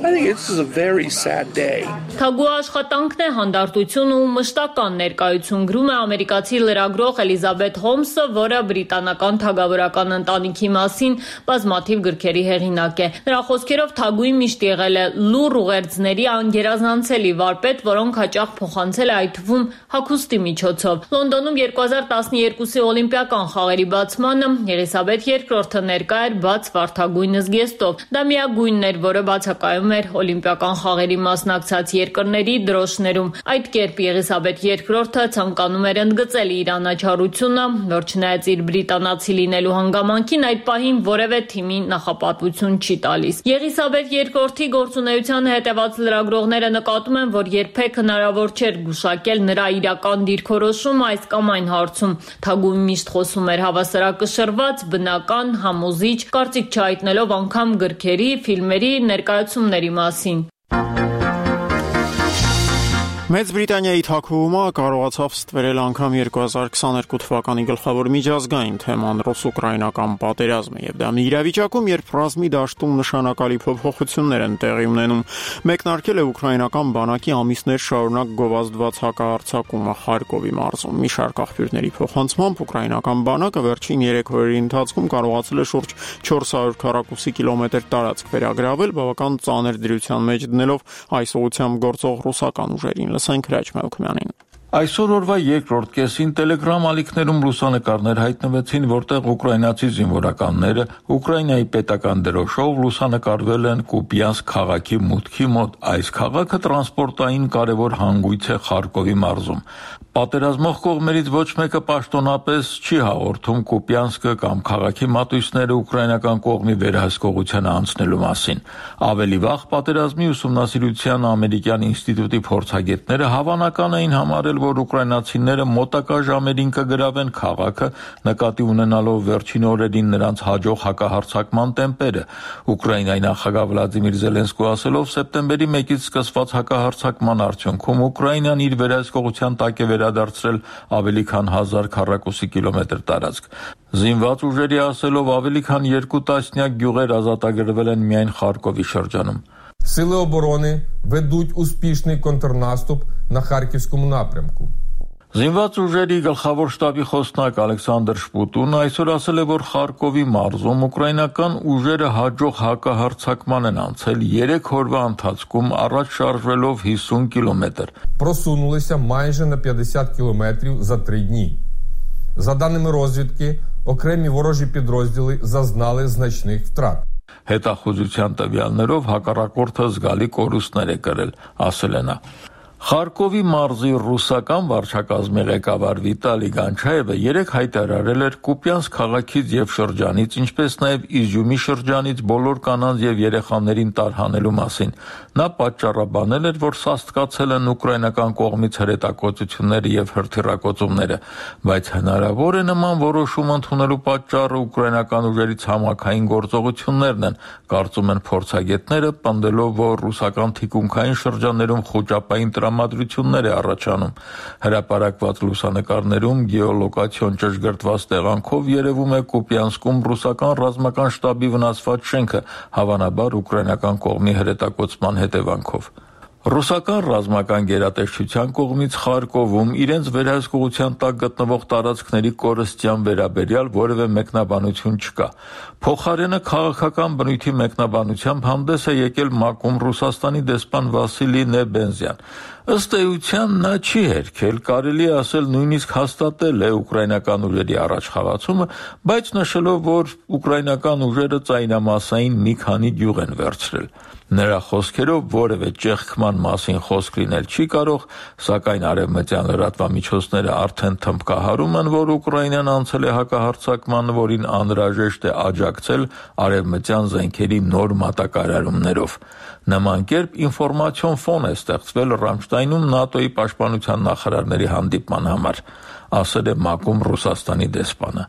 I think this is a very sad day. Թագուի աշխատանքն է հանդարտություն ու մշտական ներկայություն գրում է ամերիկացի լրագրող Էլիզաբեթ Հոլմսը, որը բրիտանական թագավորական ընտանիքի մասին բազմաթիվ գրքերի հեղինակ է։ Նրա խոսքերով թագուին միշտ եղել է լուռ ուղերձների անգերազանցելի վարպետ, որոնք հաճախ փոխանցել է այդ թվում հագուստի միջոցով։ Լոնդոնում երկու հազար տասներկուսի օլիմպիական խաղերի բացմանը Եղիսաբեթ երկրորդը ներկա էր բաց վարդագույն զգեստով։ Դա միագույնն էր, որը բացակայում էր օլիմպիական խաղերի մասնակցած երկրների դրոշներում։ Այդ կերպ Եղիսաբեթ երկրորդը ցանկանում էր ընդգծել իր անաչառությունը, որ չնայած իր բրիտանացի լինելու հանգամանքին այդ պահին որևէ թիմի նախապատվություն չի տալիս։ Եղիսաբեթ երկրորդի գործունեությանը հետևած լրագրողները նկատում են, որ երբեք հնարավոր չէր գուշակել նրա իրական դիրքորոշումը այս կամ այն հարցում։ Թագուին միշտ խոսում էր հավասարակշռված, բնական, համոզիչ, կարծիք չհայտնելով անգամ գրքերի, ֆիլմերի, ներկայացումների մասին։ Մեծ Բրիտանիայի թագուհումը կարողացավ ստվերել անգամ երկու հազար քսաներկու թվականի գլխավոր միջազգային թեման ռուս-ուկրաինական պատերազմը, եւ դա մի իրավիճակում, երբ ռազմի դաշտում նշանակալի փոփոխություններ են տեղի ունենում, մեկնարկել է ուկրաինական բանակի ամիսներ շարունակ գովազդված հակահարձակումը Խարկովի մարզում։ Մի շարք աղբյուրների փոխանցմամբ ուկրաինական բանակը վերջին երեք օրերի ընթացքում կարողացել է շուրջ չորս հարյուր քառակուսի կիլոմետր տարածք վերագրավել, բավական ծանր դրության մեջ դնելով այս ուղղությամբ գործող ռուսական ուժերին։ Այսօր օրվա երկրորդ կեսին Telegram ալիքներում լուսանկարներ հայտնվեցին, որտեղ ուկրաինացի զինվորականները Ուկրաինայի պետական դրոշով լուսանկարվել են Կուպյանսկ քաղաքի մուտքի մոտ։ Այս քաղաքը տրանսպորտային կարևոր հանգույց է Խարկովի մարզում։ Պատերազմող կողմերից ոչ մեկը պաշտոնապես չի հաղորդում Կուպյանսկը կամ քաղաքի մատույցները ուկրաինական կողմի վերահսկողությանը անցնելու մասին։ Ավելի վաղ պատերազմի ուսումնասիրության ամերիկյան ինստիտուտի փորձագետները հավանական էին համարել, որ ուկրաինացիները մոտակա ժամերին կգրավեն քաղաքը, նկատի ունենալով վերջին օրերին նրանց հաջող հակահարձակման տեմպերը։ Ուկրաինայի նախագահ Վլադիմիր Զելենսկու ասելով, սեպտեմբերի մեկից սկսված հակահարձակման արդյունքում Ուկրաինան իր վերահսկողության տակ է վերադարձրել ավելի քան հազար քառակուսի կիլոմետր տարածք։ Զինված ուժերի ասելով, ավելի քան երկու տասնյակ գյուղեր ազատագրվել են միայն Խարկովի շրջանում։ Сили оборони ведуть успішний контрнаступ на Харківському напрямку. Զինված ուժերի գլխավոր շտաբի խոսնակ Ալեքսանդր Շպուտուն այսօր ասել է, որ Խարկովի մարզում ուկրաինական ուժերը հաջող հակահարձակման են անցել երեք օրվա ընթացքում, առաջ շարժվելով հիսուն կիլոմետր։ Просунулися майже на п'ятдесят кілометрів за три дні. За даними розвідки, окремі ворожі підрозділи зазнали значних втрат. Հետախուզության տվյալներով հակառակորդը զգալի կորուստներ է կրել, ասել է նա։ Խարկովի մարզի ռուսական վարչակազմի ղեկավար Վիտալի Գանչաևը երեք հայտարարել էր Կուպյանսկ քաղաքից եւ շրջանից, ինչպես նաեւ Իզյումի շրջանից բոլոր կանանց եւ երեխաներին տարհանելու մասին։ Նա պատճառաբանել էր, որ սաստկացել են ուկրաինական կողմից հրետակոծությունները եւ հրթիռակոծումները, բայց հնարավոր է նման որոշում ընդունելու պատճառը ուկրաինական ուժերի ցամաքային գործողություններն են, կարծում են փորձագետները, պնդելով, որ ռուսական թիկունքային շրջաններում խոճապային տրամադրություններ է առաջանում։ Հրապարակված լուսանկարներում գեոլոկացիոն ճշգրտված տեղանքով երևում է Կուպյանսկում ռուսական ռազմական շտաբի վնասված շենքը, հավանաբար ուկրաինական կողմի հրետակոծման հետևանքով։ Ռուսական ռազմական գերատեսչության կողմից Խարկովում իրենց վերահսկողության տակ գտնվող տարածքների կորստյան վերաբերյալ որևէ մեկնաբանություն չկա։ Փոխարենը քաղաքական բնույթի մեկնաբանությամբ հանդես է եկել ՄԱԿ-ում Ռուսաստանի դեսպան Վասիլի Նեբենզյան։ Ըստ էության նա չի հերքել, կարելի է ասել նույնիսկ հաստատել է ուկրաինական ուժերի առաջխաղացումը, բայց նշելով, որ ուկրաինական ուժերը ծայրամասային մի քանի գյուղ են վերցրել։ Նրա խոսքերով որևէ ճեղքման մասին խոսք լինել չի կարող, սակայն արևմտյան լրատվամիջոցները արդեն թմբկահարում են, որ Ուկրաինան անցել է հակահարձակման, որին անհրաժեշտ է աջակցել արևմտյան զենքերի նոր մատակարարումներով։ Նման կերպ ինֆորմացիոն ֆոն է ստեղծվել Ռամշտայնում ՆԱՏՕ-ի պաշտպանության նախարարների հանդիպման համար, ասել է ՄԱԿ-ում Ռուսաստանի դեսպանը։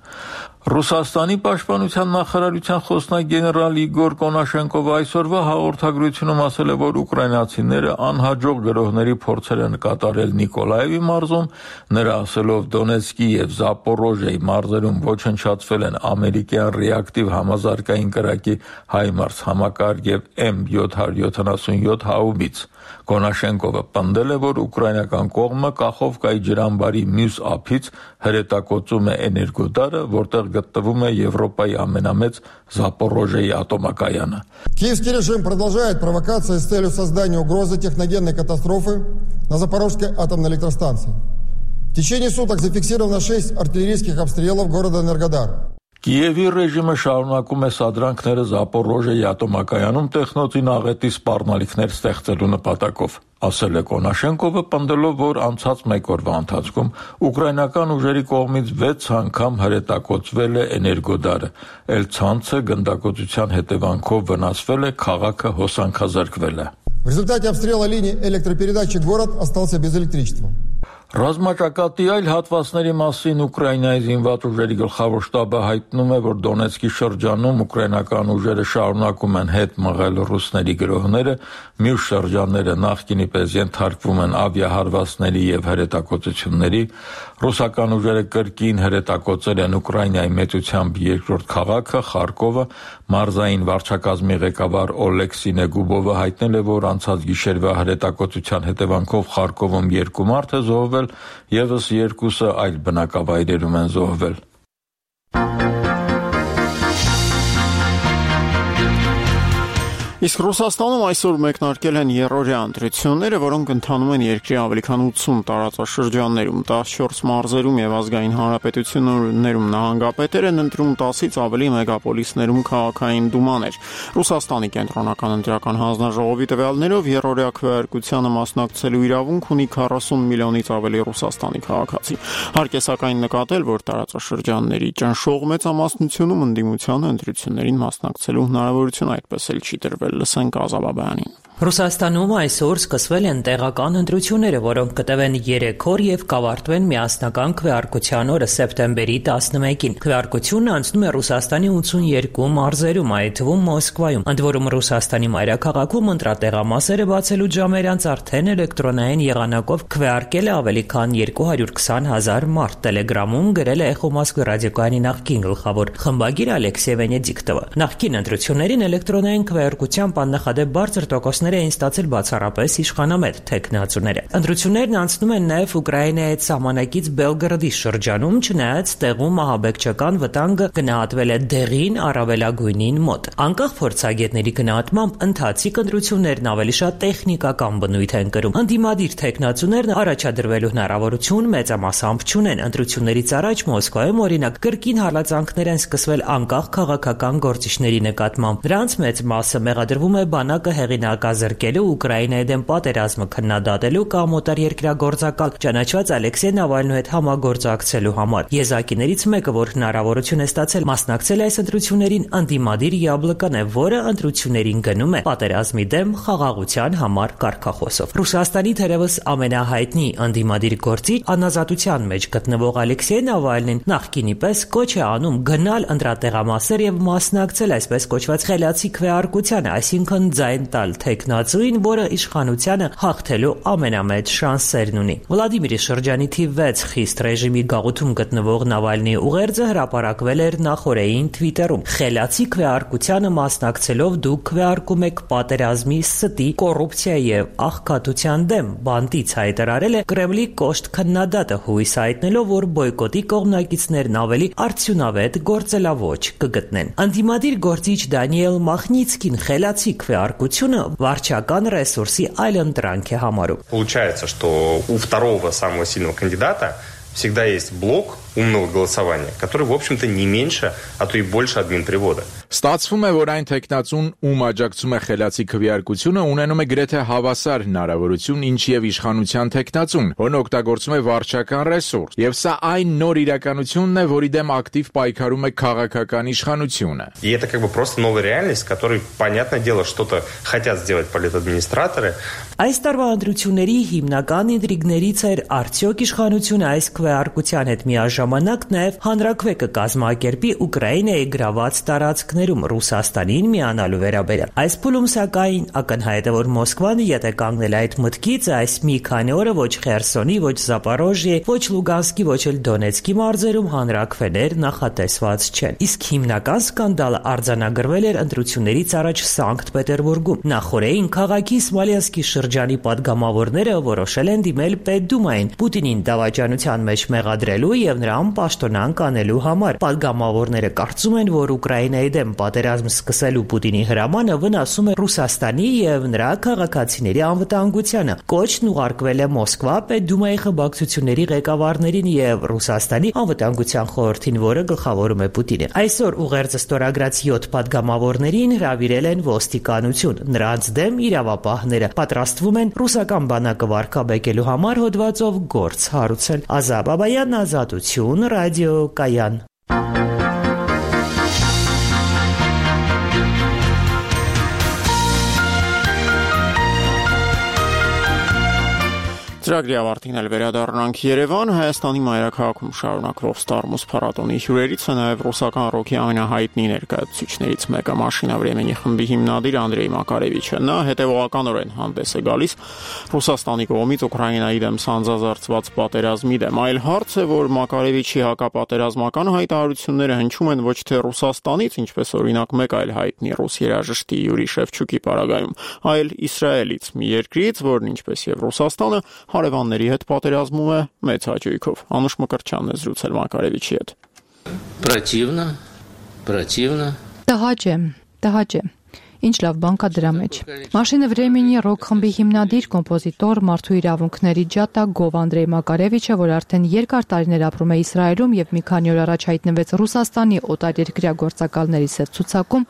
Ռուսաստանի պաշտպանության նախարարության խոսնակ գեներալ Իգոր Կոնաշենկովը այսօրվա հաղորդագրությունում ասել է, որ ուկրաինացիները անհաջող գրոհների փորձեր են կատարել Նիկոլաևի մարզում, նրա ասելով Դոնեցկի եւ Զապորոժիայի մարզերում ոչնչացվել են ամերիկյան ռեակտիվ համազարգային կրակի հայմարս համակարգ եւ էմ յոթ յոթանասունյոթ հաուբից։ Կոնաշենկովը պնդել է, որ ուկրաինական կողմը Կախովկայի ջրամբարի մյուս ափից հրետակոծում է էներգոդարը, որտեղ գտնվում է Եվրոպայի ամենամեծ Զապորոժիայի ատոմակայանը։ Киевский режим продолжает провокации с целью создания угрозы техногенной катастрофы на Запорожской атомной электростанции. В течение суток зафиксировано шесть артиллерийских обстрелов города Энергодар. Կիևի ռեժիմը շարունակում է սադրանքները Զապորոժիայի ատոմակայանում տեխնոցի աղետի սպառնալիքներ ստեղծելու նպատակով, ասել է Կոնաշենկովը, պնդելով, որ անցած մեկ օրվա ընթացքում ուկրաինական ուժերի կողմից վեց անգամ հրետակոծվել է էներգոդարը, էլ ցանցը գնդակոծության հետևանքով վնասվել է, քաղաքը հոսանքազրկվել է։ В результате обстрела линии электропередачи город остался без электричества. Ռազմաճակատի այլ հատվածների մասին Ուկրաինայի զինված ուժերի գլխավոր շտաբը հայտնում է, որ Դոնեցկի շրջանում ուկրաինական ուժերը շարունակում են հետ մղել ռուսների գրոհները, մյուս շրջանները նախկինի պես ենթարկվում են ավիահարվածների եւ հրետակոծությունների, ռուսական ուժերը կրկին հրետակոծել են Ուկրաինայի մեծությամբ երկրորդ քաղաքը Խարկովը, մարզային վարչակազմի ղեկավար Օլեքսի Նեգուբովը հայտնել է, որ անցած գիշերվա հրետակոծության հետևանքով Խարկովում երկու մարդ է զոհվել, եւս երկուսը այլ բնակավայրերում են զոհվել։ Իսկ Ռուսաստանում այսօր մեկնարկել են երրորդյա ընտրությունները, որոնք ընթանում են երկրի ավելի քան ութսուն տարածաշրջաններում, տասնչորս մարզերում եւ ազգային հանրապետություններում նահանգապետեր են ընտրում, տասից ավելի մեգապոլիսներում քաղաքային դումաներ։ Ռուսաստանի կենտրոնական ընտրական հանձնաժողովի տվյալներով երրորդյա քվեարկությանը մասնակցելու իրավունք ունի քառասուն միլիոնից ավելի Ռուսաստանի քաղաքացի։ Հարկ է սակայն նկատել, որ տարածաշրջանների ճնշող մեծամասնությունում ընդդիմությանը ընտրություններին մասնակցելու հնարավորություն այդպես էլ չի տրվել։ Լսենք Ազաբաբյանին։ Ռուսաստանում այսօր սկսվել են տեղական ընտրությունները, որոնք կտևեն երեք օր եւ կավարտվեն միասնական քվեարկության օրը սեպտեմբերի տասնմեկին։ Քվեարկությունն անցնում է Ռուսաստանի ութսունյոթ մարզերում, այդ թվում Մոսկվայում։ Ընդ որում Ռուսաստանի մայրաքաղաքում ընտրատեղամասերը բացելու ժամեր անց արդեն էլեկտրոնային եղանակով քվեարկել է ավելի քան երկու հարյուր քսան հազար մարդ։ Տելեգրամում գրել է Էխո Մոսկվի ռադիոկայանի նախկին գլխավոր խմբագիր Ալեքսեյ Վենեդիկտովը։ Նախկին ընտրություններին էլեկտրոնային քվեարկությամբ աննախադեպ բարձր տոկոսներ էին ստացել բացառապես իշխանամետ թեկնածուները։ Ընտրություններն անցնում են նաև Ուկրաինայի սահմանակից Բելգրադի շրջանում, չնայած տեղում ահաբեկչական վտանգը գնահատվել է դեղին առավելագույնին մոտ։ Անկախ փորձագետների գնահատմամբ ընթացիկ ընտրություններն ավելի շատ տեխնիկական բնույթ են կրում։ Ընդդիմադիր թեկնածուներն առաջադրվելու հնարավորություն մեծամասամբ չունեն։ Ընտրություններից առաջ Մոսկվայում օրինակ կրկին հալածանքներ են սկսվել անկախ քաղաքական գործիչների նկատմամբ։ Նրանց մեծ մասը մեղադրվում է բանակը հեղինակազրկելու, Ուկրաինայի դեմ պատերազմը քննադատելու կամ օտարերկրագործակալ ճանաչված Ալեքսեյ Նավալնու հետ համագործակցելու համար։ Եզակիներից մեկը, որ հնարավորություն է ստացել մասնակցել այս ընտրություններին, ընդդիմադիր Յաբլկան է, որը ընտրություններին գնում է պատերազմի դեմ խաղաղության համար կարգախոսով։ Ռուսաստանի թերևս ամենահայտնի ընդդիմադիր գործիչ, անազատության մեջ գտնվող Ալեքսեյ Նավալնին նախկինի պես կոչ է անում գնալ ընտրատեղամասեր եւ մասնակցել այսպես կոչված խելացի քվեարկությանը, այսինքն ձայն տալ թեկնածուին, որը իշխանությանը հաղթելու ամենամեծ շանսերն ունի։ Վլադիմիրի շրջանի թիվ վեց խիստ ռեժիմի գաղութում գտնվող Նավալնիի ուղերձը հրապարակվել էր նախորդային Twitter-ում։ Խելացի քվեարկությանը մասնակցելով դուք քվեարկում եք պատերազմի, ստի, կոռուպցիայի եւ աղքատության դեմ, բանտից հայտարարել է Կրեմլի կոշտ քննադատը, հույս հայտնելով, որ բոյկոտի կողմնակիցներն ավելի արդյունավետ գործելավոճ կգտնեն։ Ընդդիմադիր գործիչ Դանիել Մախնիցկին խելացի քվեարկությունը վարչական ռեսուրսի այլընտրանք է համարում։ Получается, что у второго самого сильного кандидата всегда есть блок умного голосования, который, в общем-то, не меньше, а то и больше админпривода. Ստացվում է, որ այն տեխնացուն, ում աջակցում է խելացի քվեարկությունը, ունենում է գրեթե հավասար հնարավորություն, ինչ եւ իշխանության տեխնացուն, որն օգտագործում է վարչական ռեսուրս, եւ սա այն նոր իրականությունն է, որի դեմ ակտիվ պայքարում է քաղաքական իշխանությունը։ И это как бы просто новая реальность, которой, понятное дело, что-то хотят сделать политадминистраторы. Այս տարվա ընտրությունների հիմնական ինտրիգներից էր արդյոք իշխանությունը այս քվեարկության հետ միաժամանակ ժամանակ նաև հանրաքվե կկազմակերպի Ուկրաինայի գրաված տարածքներում Ռուսաստանին միանալու վերաբերյալ։ Այս փուլում սակայն ակնհայտ է, որ Մոսկվան եթե կանգնել այդ մտքից, այս մի քանի օրը ոչ Խերսոնի, ոչ Զապորոժիե, ոչ Լուգանսկի, ոչ էլ Դոնեցկի մարզերում հանրաքվեներ նախատեսված չեն։ Իսկ հիմնական սկանդալը արձանագրվել էր ընտրություններից առաջ Սանկտ Պետերբուրգում։ Նախորդին քաղաքի Սմոլենսկի շրջանի падգամավորները որոշել են դիմել Պետդումային Պուտինին դավաճանության մեջ մեղադրելու եւ նրան պաշտոնանկ անելու համար։ Падգամավորները կարծում են, որ Ուկրաինայի դեմ պատերազմ սկսելու Պուտինի հրամանը վնասում է Ռուսաստանի եւ նրա քաղաքացիների անվտանգությանը։ Կոչն ուղարկվել է Մոսկվա Պետդումայի խմբակցությունների ղեկավարներին եւ Ռուսաստանի անվտանգության խորհրդին, որը գլխավորում է Պուտինը։ Այսօր ուղերձը ստորագրած յոթ падգամավորներին հրավիրել են ոստիկանություն։ Նրանց դեմ իրավապահները պատրաստվում են ռուսական բանակը վարկաբեկելու համար հոդվածով գործ հարուցել։ Ազատ Բաբայան, Ազատություն, ռադիո Կայան։ Ծրագրի ավարտին էլ վերադառնանք Երևան, Հայաստանի մայրաքաղաքում շարունակվող Ստարմուս փառատոնի հյուրերից է նաև ռուսական ռոքի ամենահայտնի ներկայացուցիչներից մեկը Մաշինա Վրեմենի խմբի հիմնադիր Անդրեյ Մակարևիչը։ Նա հետևողականորեն հանդես է գալիս Ռուսաստանի կողմից Ուկրաինայի դեմ սանձազերծված պատերազմի դեմ։ Այլ հարց է, որ Մակարևիչի հակապատերազմական հայտարարությունները հնչում են ոչ թե Ռուսաստանից, ինչպես օրինակ մեկ այլ հայտնի ռուս երաժշտի Յուրի Շևչուկի պարագայում, այլ Իսրայելից, մի երկրից, որն ինչպես եւ Ռուսաստանը հարևանների հետ պատերազմում է մեծ հաճույքով։ Անուշ Մկրտչյանն է զրուցել Մակարևիչի հետ։ Противно, противно. Տհաճ է, տհաճ է։ Ինչ լավ բան կա դրա մեջ։ Մաշինա Վրեմենի ռոք խմբի հիմնադիր, կոմպոզիտոր, մարդու իրավունքների ջատա Գով Անդրեյ Մակարևիչը, որ արդեն երկար տարիներ ապրում է Իսրայելում եւ մի քանի օր առաջ հայտնվեց Ռուսաստանի օտարերկրյա գործակալների հետ ցուցակում,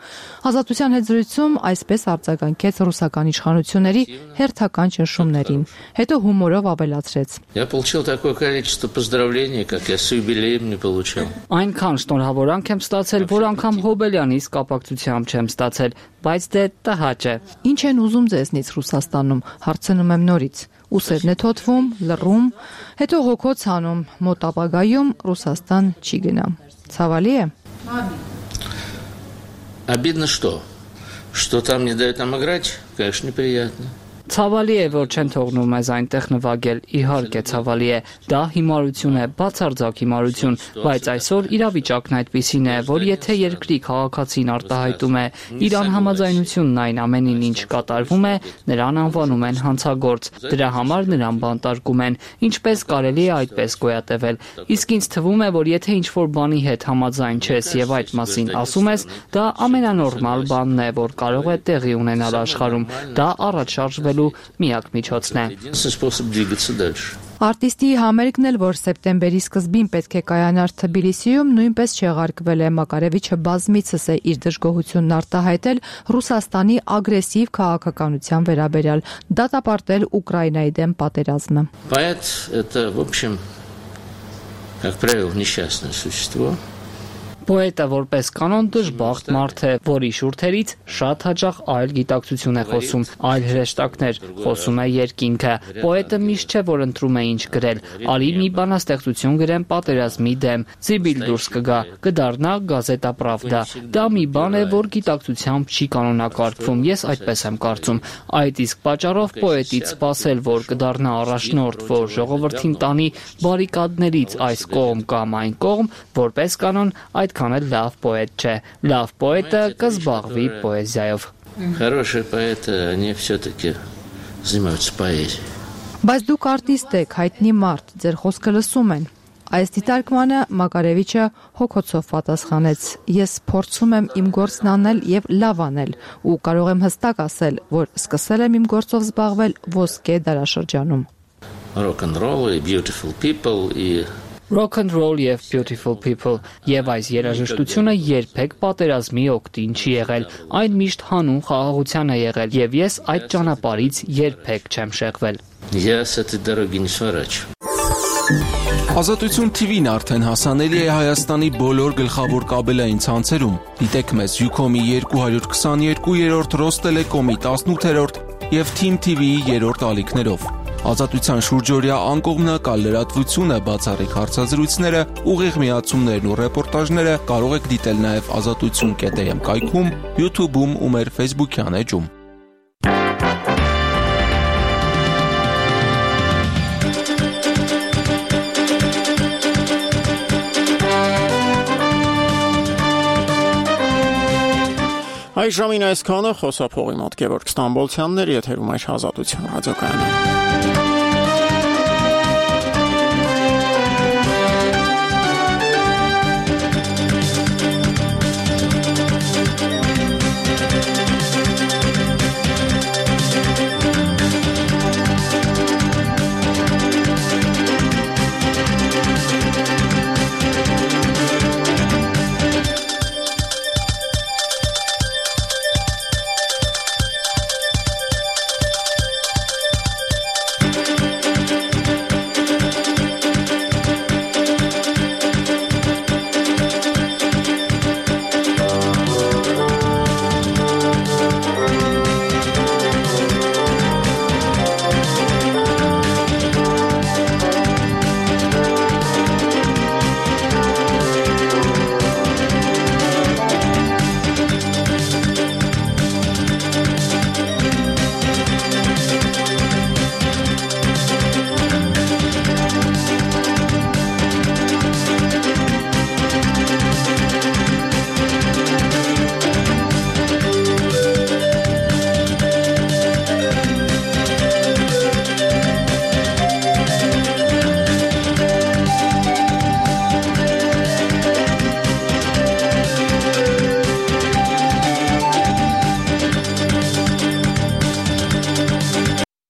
Ազատության հետ զրույցում այսպես արձագանքեց ռուսական իշխանությունների հերթական ճնշումներին։ Հետո հումորով ավելացրեց. Я получил такое количество поздравлений, как я с юбилеем не получал. Այնքան շնորհավորանք եմ ստացել, որ անգամ Հոբելյանից կապակցությամբ չեմ ստացել, բայց դե տհաճ է։ Ինչ են ուզում ձեզնից Ռուսաստանում, հարցնում եմ նորից։ Ուսերն է թոթվում, լռում, հետո հոգոց հանում, մոտ ապագայում Ռուսաստան չի գնա։ Ցավալի է։ Обидно что? Что там не дают нам играть? Конечно, неприятно. Ցավալի է, որ չեն թողնում մեզ այնտեղ նվագել, իհարկե ցավալի է, դա հիմարություն է, բացարձակ հիմարություն, բայց այսօր իրավիճակն այդպիսին է, որ եթե երկրի քաղաքացին արտահայտում է իր անհամաձայնությունն այն ամենին, ինչ կատարվում է, նրան անվանում են հանցագործ, դրա համար նրան բանտարկում են, ինչպես կարելի է այդպես գոյատևել, իսկ ինձ թվում է, որ եթե ինչ-որ բանի հետ համաձայն չես եւ այդ մասին ասում ես, դա ամենանորմալ բանն է, որ կարող է տեղի ունենալ աշխարհում, դա առաջ շարժվելու միակ միջոցն է։ Արտիստի համերգն էլ, որ սեպտեմբերի սկզբին պետք է կայանար Թբիլիսիում, նույնպես չեղարկվել է։ Մակարևիչը բազմիցս է իր դժգոհությունն արտահայտել Ռուսաստանի ագրեսիվ քաղաքականության վերաբերյալ, դատապարտել Ուկրաինայի դեմ պատերազմը։ Поэт это, в общем, как правило, несчастное существо. Պոետը որպես կանոն դժբախտ մարդ է, որի շուրթերից շատ հաճախ այլ գիտակցություն է խոսում, այլ հրեշտակներ, խոսում է երկինքը։ Պոետը միշտ չէ, որ ընտրում է ինչ գրել։ Արի մի բանաստեղծություն գրեմ պատերազմի դեմ, Սիբիլ դուրս կգա, կդառնա Գազետա Պրավդա։ Դա մի բան է, որ գիտակցությամբ չի կանոնակարգվում, ես այդպես եմ կարծում։ Այդ իսկ պատճառով պոետից սպասել, որ կդառնա առաջնորդ, որ ժողովրդին տանի բարիկադներից այս կողմ կամ այն կողմ, որպես կանոն այդ Այդքան էլ լավ պոետ չէ։ Լավ պոետը կզբաղվի պոեզիայով։ Хорошие поэты, они все-таки занимаются поэзией. Բայց դուք արտիստ եք, հայտնի մարդ, ձեր խոսքը լսում են։ Այս դիտարկմանը Մակարևիչը հոգոցով պատասխանեց. Ես փորձում եմ իմ գործն անել եւ լավ անել ու կարող եմ հստակ ասել, որ սկսել եմ իմ գործով զբաղվել ոսկե դարաշրջանում։ Rock and roll и beautiful people и Rock and roll եւ beautiful people եւ այս երաժշտությունը երբեք պատերազմի օգտին չի եղել, այն միշտ հանուն խաղաղության է եղել եւ ես այդ ճանապարհից երբեք չեմ շեղվել։ Я с этой дороги не сворачиваю. Ազատություն T V-ն արդեն հասանելի է Հայաստանի բոլոր գլխավոր կաբելային ցանցերում։ Դիտեք մեզ Յուքոմի երկու հարյուր քսաներկու երրորդ, Ռոստելեկոմի տասնութերորդ եւ Թիմ T V-ի երրորդ ալիքներով։ Ազատության շուրջօրյա անկողմնակալ լրատվությունը, բացառիկ հարցազրույցները, ուղիղ միացումներն ու ռեպորտաժները կարող եք դիտել նաև ազատություն կետ էմ կայքում, YouTube-ում ու մեր Facebook-յան էջում։ Այս ժամին այսքանը, խոսափողի մոտ Գևորգ Ստամբոլցյանն էր, եթերում այս Ազատություն ռադիոկայանը։